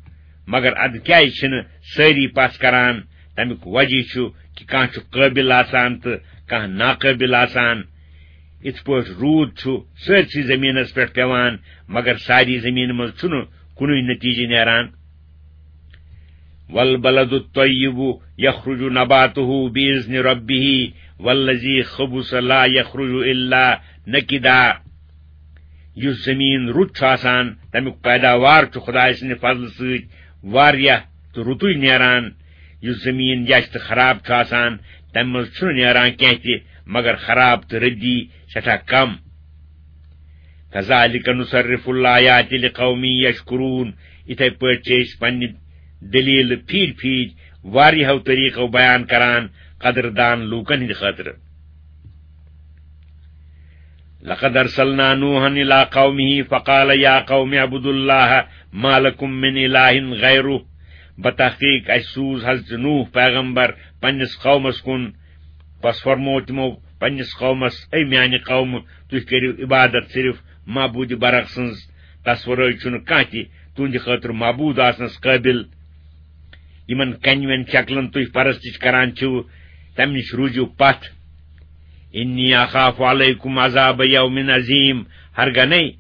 مگر ادٕ کیازِ چھِنہٕ سٲری پژھ کران؟ تمیُک وجہ چھُ کہِ کانٛہہ چھُ قٲبل آسان تہٕ کانٛہہ ناقٲبل آسان۔ یِتھ پٲٹھۍ روٗد چھُ سٲرسٕے زٔمیٖنَس پٮ۪ٹھ پٮ۪وان، مگر ساری زٔمیٖنہِ منٛز چھُنہٕ کُنُے نتیٖجہٕ نیران۔ وَالْبَلَدُ الطَّيِّبُ يَخْرُجُ نَبَاتُهُ بِإِذْنِ رَبِّهِ وَالَّذِي خَبُثَ لَا يَخْرُجُ إِلَّا نَكِدًا۔ یُس زٔمیٖن رُت چھُ آسان، تَمیُک پیداوار چھُ خۄداے سٕنٛدِ فضلہٕ سۭتۍ واریاہ تہٕ رُتُے نیران۔ یُس زٔمیٖن یَچھ تہٕ خراب چھُ آسان، تَمہِ منٛز چھُنہٕ نیران کینٛہہ تہِ مگر خراب تہٕ رٔدی، سٮ۪ٹھاہ کم۔ كَذَٰلِكَ نُصَرِّفُ الْآيَاتِ لِقَوْمٍ يَشْكُرُونَ۔ یِتھے پٲٹھۍ چھِ أسۍ پننہِ دٔلیٖلہٕ پھیٖرۍ پھیٖرۍ واریاہو طریٖقو بیان کران قدردان لوٗکن ہٕنٛدِ خٲطرٕ۔ لَقَدْ أَرْسَلْنَا نُوحًا إِلَىٰ قَوْمِهِ فَقَالَ يَا قَوْمِ اعْبُدُوا اللَّهَ مَا لَكُم مِّنْ إِلَٰهٍ غَيْرُهُ۔ بتحقیق اسہِ سوٗز حضرت نوح پیغمبر پننِس قومس کُن۔ پس فرموو تِمو پننِس قومس، اے میانہِ قومہٕ، تُہۍ کٔرِو عبادت صرف معبوٗدِ برحق سٕنٛز، تس ورٲے چھُنہٕ کانٛہہ تہِ تُہنٛدِ خٲطرٕ معبوٗد آسنس قٲبِل۔ یِمن کنہِ وٮ۪ن شکلن تُہۍ پرستش کران چھِو، تمہِ نِش روٗزِو پتھ۔ إِنِّي أَخَافُ عَلَيْكُمْ عَذَابَ يَوْمٍ عَظِيمٍ۔ ہرگنے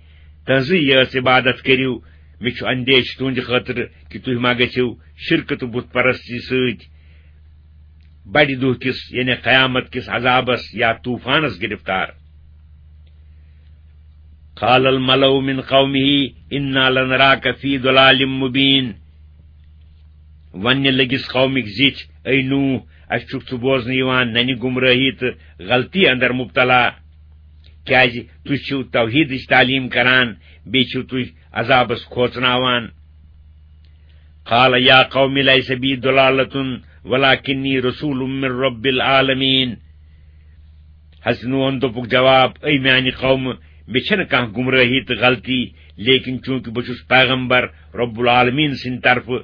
تُہنٛزٕے یٲژ عبادت کٔرِو، مےٚ چھُ اندیشہِ تُہنٛدِ خٲطرٕ کہِ تُہۍ ما گٔژھِو شرکہٕ تہٕ بُت پرستی سۭتۍ بڑِ دۄہ کِس، یعنی قیامت کِس عذابس یا طوفانس گرفتار۔ قَالَ الْمَلَأُ مِنْ قَوْمِهِ إِنَّا لَنَرَاكَ فِي ضَلَالٍ مُّبِينٍ۔ وننہِ لٔگِس قومٕکۍ زِٹھۍ، اے نوح، اسہِ چھُکھ ژٕ بوزنہٕ یِوان ننہِ گمرٲہی تہٕ غلطی اندر مبتلا، کیازِ تُہۍ چھِو توحیدٕچ تعلیٖم کران، بیٚیہِ چھِو تُہۍ عذابس کھوژناوان۔ قَالَ يَا قَوْمِ لَيْسَ بِي ضَلَالَةٌ وَلَٰكِنِّي رَسُولٌ مِّن رَّبِّ الْعَالَمِينَ۔ حضرت نوحن دوٚپُکھ جواب، اے میانہِ قومہٕ، مےٚ چھَنہٕ کانٛہہ گمرٲہی تہٕ غلطی، لیکن چونکہ بہٕ چھُس پیغمبر رب العالمین سٕنٛدِ طرفہٕ،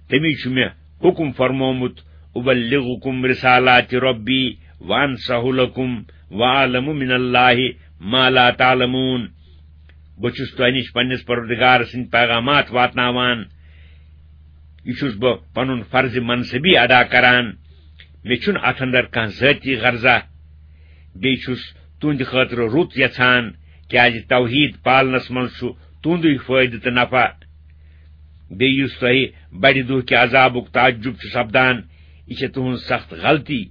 تٔمی چھُ مےٚ حُکم فرمومُت، أُبَلِّغُكُمْ رِسَالَاتِ رَبِّي وَأَنصَحُ لَكُمْ وَأَعْلَمُ مِنَ اللَّهِ مَا لَا تَعْلَمُونَ۔ بہٕ چھُس تۄہہِ نِش پننِس پروردگار سٕنٛدۍ پیغامات واتناوان۔ یہِ چھُس بہٕ پنُن فرضِ منصبی ادا کران۔ مےٚ چھُنہٕ اتھ اندر کانٛہہ ذٲتی غرضہ۔ بیٚیہِ چھُس تُہنٛدِ خٲطرٕ رُت یژھان، کیازِ توحید پالنس منٛز چھُ تُہنٛدُے فٲیدٕ تہٕ نفع۔ بیٚیہِ یُس تۄہہِ بڑِ دۄہ کہِ عذابُک تعجب چھُ سپدان، یہِ چھےٚ تُہنٛز سخت غلطی،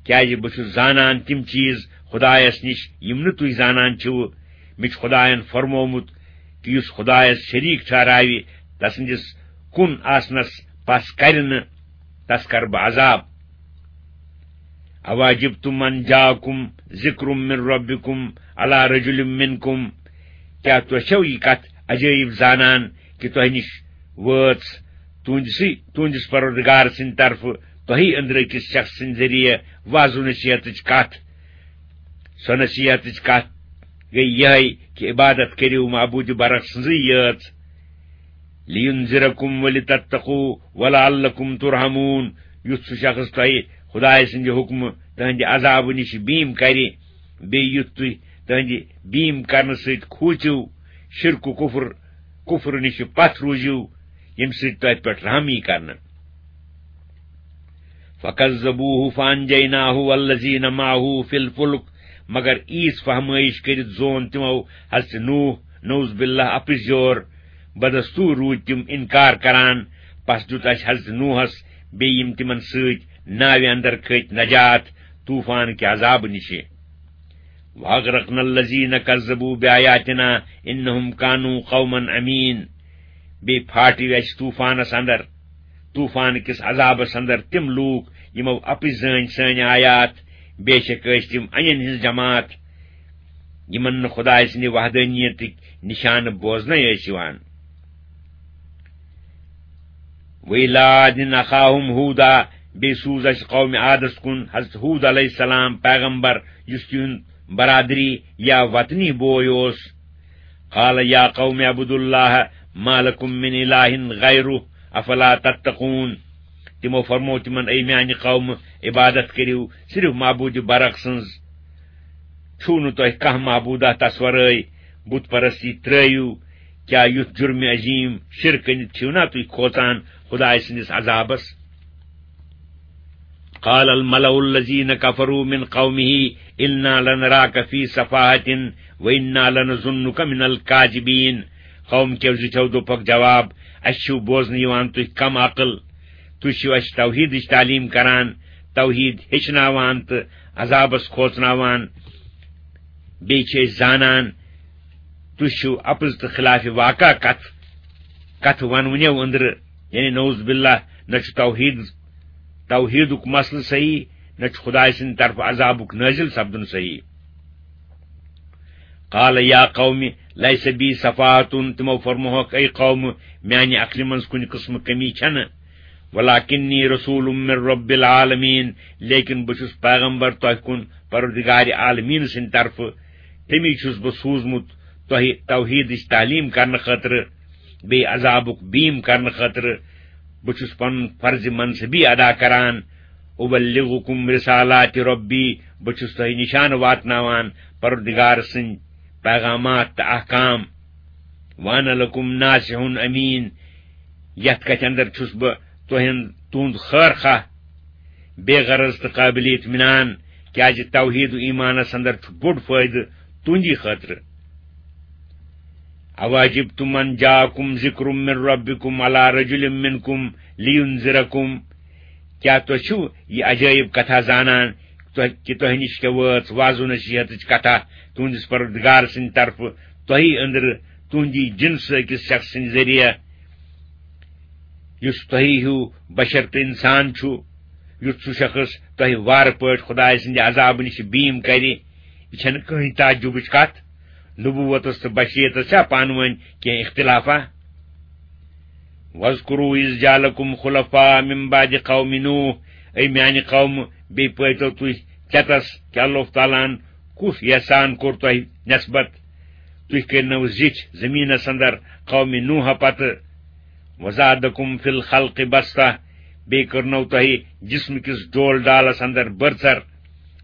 کیازِ بہٕ چھُس زانان تِم چیٖز خدایس نِش یِم نہٕ تُہۍ زانان چھِو۔ مےٚ چھُ خدایَن فرمومُت کہِ یُس خدایَس شریٖک ٹھہراوِ، تسٕنٛدِس کُن آسنَس پَس کَرِ نہٕ، تَس کَرٕ بہٕ عذاب۔ أَوَعَجِبْتُمْ أَن جَاءَكُمْ ذِكْرٌ مِّن رَّبِّكُمْ عَلَىٰ رَجُلٍ مِّنكُمْ، کیٛاہ تُہۍ چھَو یہِ کَتھ عجٲیِب زانان کہِ تۄہہِ نِش وٲژ تُہنٛدسٕے، تُہنٛدِس پروردگار سٕنٛدِ طرفہٕ تۄہہِ أنٛدرٕ أکِس شخص سٕنٛدِ ذٔریعہٕ وعظ و نصیحتٕچ کَتھ؟ سۄ نصیحتٕچ کَتھ گٔے یِہے کہِ عبادت کٔرِو معبوٗدِ برحق سٕنٛزٕے یٲژ۔ لِینذِرَکُم وَلِتَتَّقوٗ وَلَعَلَّکُم تُرْحَمُونَ، یُتھ سُہ شخص تۄہہِ خدایہِ سٕنٛدِ حُکمہٕ تٕہٕنٛدِ عذابہٕ نِش بیٖم کرِ، بیٚیہِ یُتھ تُہۍ تٕہٕنٛدِ بیٖم کرنہٕ سۭتۍ کھوٗژِو، شرک و کفر، کفر نِش پتھ روٗزِو، ییٚمہِ سۭتۍ تۄہہِ پٮ۪ٹھ رحم یی کرنہٕ۔ فَكَذَّبُوهُ فَأَنجَيْنَاهُ وَالَّذِينَ مَعَهُ فِي الْفُلْكِ، مگر ایٖژ فہمٲیش کٔرِتھ زون تِمو حضرت نوح، نعوذ باللہ، اپٕزیور۔ بدستور روٗدۍ تِم انکار کران۔ پس دیُت اسہِ حضرت نوحس بیٚیہِ یِم تِمن سۭتۍ ناوِ اندر کھٔتۍ نجات طوفان کہِ عذابہٕ نِشہِ۔ وَأَغْرَقْنَا الَّذِينَ كَذَّبُوا بِآيَاتِنَا إِنَّهُمْ كَانُوا قَوْمًا عَمِينَ۔ بیٚیہِ پھاٹیو اسہِ طوفانس اندر، طوفان کِس عذابس اندر تِم لوٗکھ یِمو اپٕزۍ زٲنۍ سٲنۍ آیات، بے شک ٲسۍ تِم انٮ۪ن ہٕنٛز جماعت، یِمن نہٕ خدایہِ سٕنٛدِ وحدانیتٕکۍ نشانہٕ بوزنَے ٲسۍ یِوان۔ وَإِلَىٰ عَادٍ أَخَاهُمْ هُودًا، بیٚیہِ سوٗز اَسہِ قومِ عادس کُن حضرت ہوٗد علیہ السلام پیغمبر، یُس تِہُنٛد برادری یا وطنی بوے اوس۔ قَالَ يَا قَوْمِ اعْبُدُوا اللَّهَ مَا لَكُمْ مِنْ إِلَٰهٍ غَيْرُهُ أَفَلَا تَتَّقُونَ۔ تِمو فرموو تِمن، اے میانہِ قومہٕ، عبادت کٔرِو صرف معبوٗدِ برحق سٕنٛز۔ چھُو نہٕ تۄہہِ کانٛہہ معبوٗدہ تس ورٲے؟ بُت پرستی ترٲیِو۔ کیٛاہ یُتھ جُرمِ عظیٖم شِرک کٔنِتھ چھِو نا تُہۍ کھوژان خدایہِ سٕنٛدِس عذابس؟ قَالَ الْمَلَأُ الَّذِينَ كَفَرُوا مِنْ قَوْمِهِ إِنَّا لَنَرَاكَ فِي سَفَاهَةٍ وَإِنَّا لَنَظُنُّكَ مِنَ الْكَاذِبِينَ۔ قوم کیو زِٹھیو دوٚپکھ جواب، اسہِ چھُو بوزنہٕ یِوان تُہۍ کم عقل، تُہۍ چھِو اسہِ توحیٖدٕچ تعلیٖم کران، توحیٖد ہیٚچھناوان تہٕ عذابس کھوژناوان۔ بیٚیہِ چھِ أسۍ زانان، تُہۍ چھِو اپٕز تہٕ خلاف واقع کتھ، کتھٕ ونوٕنیو أنٛدرٕ، یعنی نعوذ باللہ، نہ چھُ توحیٖد، توحیٖدُک مسلہٕ صحیح، نہ چھُ خدایہِ سٕنٛدِ طرفہٕ عذابُک نٲزِل سپدُن صحیح۔ قَالَ يَا قَوْمِ لَيْسَ بِي سَفَاهَةٌ، تِمو فرموہکھ، اے قوم، میانہِ عقلہِ منٛز کُنہِ قٕسمہٕ کمی چھنہٕ۔ وَلَٰكِنِّي رَسُولٌ مِّن رَّبِّ الْعَالَمِينَ، لیکن بہٕ چھُس پیغمبر تۄہہِ کُن پروردگارِ عالمیٖن سٕنٛدِ طرفہٕ۔ تٔمی چھُس بہٕ سوٗزمُت تۄہہِ توحیٖدٕچ تعلیٖم کرنہٕ خٲطرٕ، بیٚیہِ عذابُک بیٖم کرنہٕ خٲطرٕ۔ بہٕ چھُس پنُن فرضِ منصبی ادا کران۔ أُبَلِّغُكُمْ رِسَالَاتِ رَبِّي، بہٕ چھُس تۄہہِ نِشانہٕ واتناوان پروردگار سٕنٛدۍ پیغامات تہٕ احکام۔ وَأَنَا لَكُمْ نَاصِحٌ أَمِينٌ، یتھ کتھِ اندر چھُس بہٕ تۄہہِ، تُہُنٛد خٲر خواہ، بے غرض تہٕ قٲبلِ اطمینان، کیازِ توحیٖد و ایمانس اندر چھُ بوٚڑ فٲیدٕ تُہنٛدی خٲطرٕ۔ أَوَعَجِبْتُمْ أَن جَاءَكُمْ ذِكْرٌ مِّن رَّبِّكُمْ عَلَىٰ رَجُلٍ مِّنكُمْ لِيُنذِرَكُمْ، کیٛاہ تۄہہِ چھُو یہِ عجٲیب کتھا زانان، تۄہہِ، کہِ تۄہہِ نِش کیٛاہ وٲژ وعظ و نصیحتٕچ کتھا تُہنٛدِس پروردگار سٕنٛدِ طرفہٕ تۄہی أنٛدرٕ، تُہنٛدی جنسہٕ أکِس شخص سٕنٛدِ ذٔریعہٕ، یُس تۄہی ہیوٗ بشر تہٕ انسان چھُ، یُتھ سُہ شخص تۄہہِ وارٕ پٲٹھۍ خدایہِ سٕنٛدِ عذابہٕ نِش بیٖم کرِ؟ یہِ چھَنہٕ کٕہٕنۍ تعجبٕچ کتھ۔ نبوتس تہٕ بشریتس چھا پانہٕ ؤنۍ کینٛہہ اختلافا؟ وَاذْكُرُوا إِذْ جَعَلَكُمْ خُلَفَاءَ مِن بَعْدِ قَوْمِ نُوحٍ، اے میانہِ قومہٕ، بیٚیہِ پٲتو تُہۍ چٮ۪تس کہِ اللہ تعالیٰ ہن کُس احسان کوٚر تۄہہِ نسبت۔ تُہۍ کٔرنو زِٹھۍ زٔمیٖنس اندر قومِ نوح پتہٕ۔ وَزَادَكُمْ فِي الْخَلْقِ بَسْطَةً، بیٚیہِ کٔرنو تۄہہِ جسمہٕ کِس ڈول ڈالس اندر بٔرژر،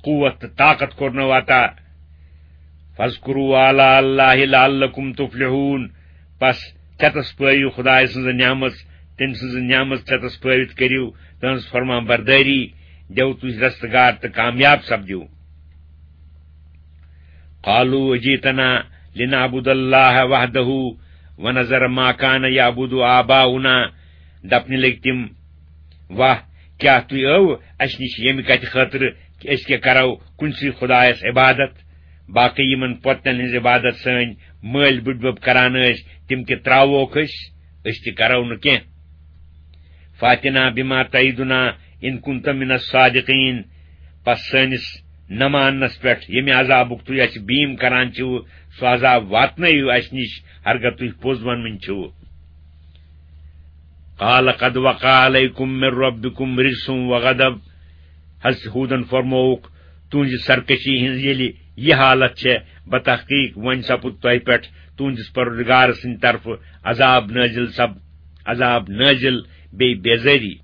قوت تہٕ طاقت کوٚرنو عطا۔ فَاذْكُرُوا آلَاءَ اللَّهِ لَعَلَّكُمْ تُفْلِحُونَ، پس چتس پٲوِو خدایہِ سٕنٛز نعمت، تٔمۍ سٕنٛز نعمت چتس پٲوِتھ کٔرِو تٕہٕنٛز فرما بردٲری، دیو تُہۍ رستگار تہٕ کامیاب سپدِو۔ قَالُوا أَجِئْتَنَا لِنَعْبُدَ اللَّهَ وَحْدَهُ وَنَذَرَ مَا كَانَ يَعْبُدُ آبَاؤُنَا، دپنہِ لٔگۍ تِم، واہ، کیٛاہ تُہۍ ٲوٕ اسہِ نِش ییٚمہِ کتھِ خٲطرٕ کہِ أسۍ کیٛاہ کرو کُنسٕے خدایس عبادت؟ باقٕے یِمن پۄتن ہٕنٛز عبادت سٲنۍ مٲلۍ بٕڈبب کران ٲسۍ، تِم تہِ ترٛاووکھ أسۍ، أسۍ تہِ کرو نہٕ کینٛہہ۔ فَأْتِنَا بِمَا تَعِدُنَا إِن كُنتَ مِنَ الصَّادِقِينَ، پس سٲنِس نہ ماننس پٮ۪ٹھ ییٚمہِ عذابُک تُہۍ اسہِ بیٖم کران چھِو، سُہ عذاب واتنٲیِو اسہِ نِش، ہرگاہ تُہۍ پوٚز ونوٕنۍ چھِو۔ قَالَ قَدْ وَقَعَ عَلَيْكُمْ مِنْ رَبِّكُمْ رِجْسٌ وَغَضَبٌ، حضرت ہوٗدن فرمووُکھ، تُہنزِ سرکشی ہٕنز ییلہِ یہِ حالت چھےٚ، بتحقیق وۄنۍ سپُد تۄہہِ پٮ۪ٹھ تُہندِس پروردگار سٕندِ طرفہٕ عذاب نٲزِل سب عذاب نٲزِل بیٚیہِ بیزٲری۔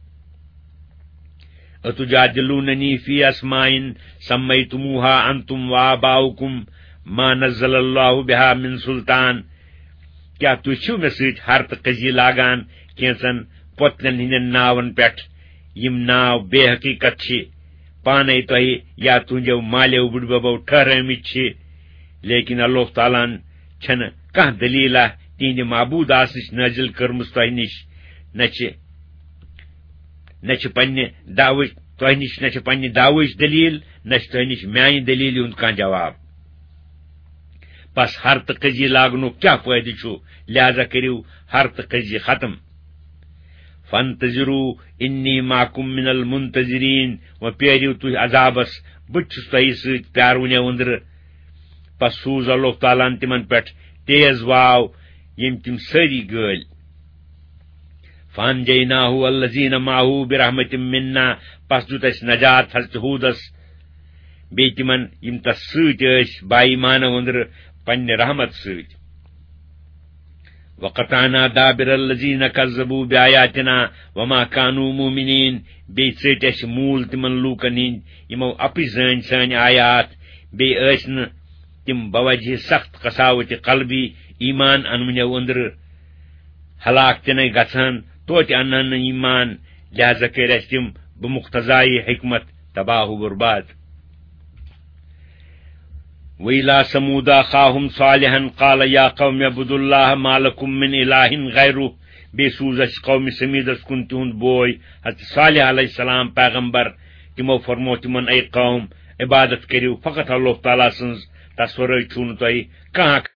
أتجادلوننی فی اسماء سمیتموها انتم وآباؤکم ما نزل اللہ بها من سلطان۔ کیٛاہ تُہۍ چھِو مےٚ سۭتۍ ہر تہٕ قضی لاگان کینٛژن پۄتلٮ۪ن ہٕنٛدٮ۪ن ناون پٮ۪ٹھ، یِم ناو بے حقیقت چھِ، پانے تۄہہِ یا تُہنٛدیو مالیو بُڈببو ٹھہرٲومٕتۍ چھِ؟ لیکن اللہ تعالیٰ ہن چھنہٕ کانٛہہ دلیلہ تِہنٛدِ معبود آسنٕچ نٲزِل کٔرمٕژ تۄہہِ نِش، نہ چھِ نہ چھِ پننہِ دعوٕچ تۄہہِ نِش نہ چھِ پننہِ دعوٕچ دلیل، نہ چھِ تۄہہِ نِش میانہِ دلیلہِ ہُنٛد کانٛہہ جواب۔ پس ہر تہٕ قضی لاگنُک کیٛاہ فٲیدٕ چھُ؟ لہذا کٔرِو ہر تہٕ قضی ختم۔ فانتظروا انی معکم من المنتظرین، و پیٲرِو تُہۍ عذابس، بہٕ تہِ چھُس تۄہہِ سۭتۍ پیارونیو أنٛدرٕ۔ پس سوٗز اللہ تعالیٰ ہن تِمن پٮ۪ٹھ تیز واو، ییٚمۍ تِم سٲری گٲلۍ۔ فانجیناہ والذین معہ برحمت منا، پس دیُت اسہِ نجات حضرت ہودس بیٚیہِ تِمن یِم تس سۭتۍ ٲسۍ با ایمانو أنٛدرٕ پننہِ رحمت سۭتۍ۔ وقطعنا دابر الذین کذبوا بآیاتنا وما کانوا مؤمنین، بیٚیہِ ژٔٹۍ اسہِ موٗل تِمن لوٗکن ہٕنٛدۍ یِمو اپٕز زٲنۍ سٲنۍ آیات، بیٚیہِ ٲسۍ نہٕ تِم بوجہ سخت قساوت قلبی ایمان انوٕنیو أنٛدرٕ ہلاک تہِ نَے گژھان، توتہِ اَنہٕ ہن نہٕ ایمان، لہذا کٔرۍ اَسہِ تِم بمقتضایہِ حکمت تباہ و برباد۔ وَإِلَىٰ ثَمُودَ أَخَاهُمْ صَالِحًا قَالَ يَا قَوْمِ اعْبُدُوا اللَّهَ مَا لَكُمْ مِنْ إِلَٰهٍ غَيْرُهُ۔ بیٚیہِ سوٗز اَسہِ قومِ ثمیٖدس کُن تِہُنٛد بوے حضرت صالح علیہ السلام پیغمبر۔ تِمو فرموو تِمن، اے قوم، عبادت کٔرِو فقط اللہ تعالیٰ سٕنٛز، تس ورٲے چھُو نہٕ تۄہہِ کانٛہہ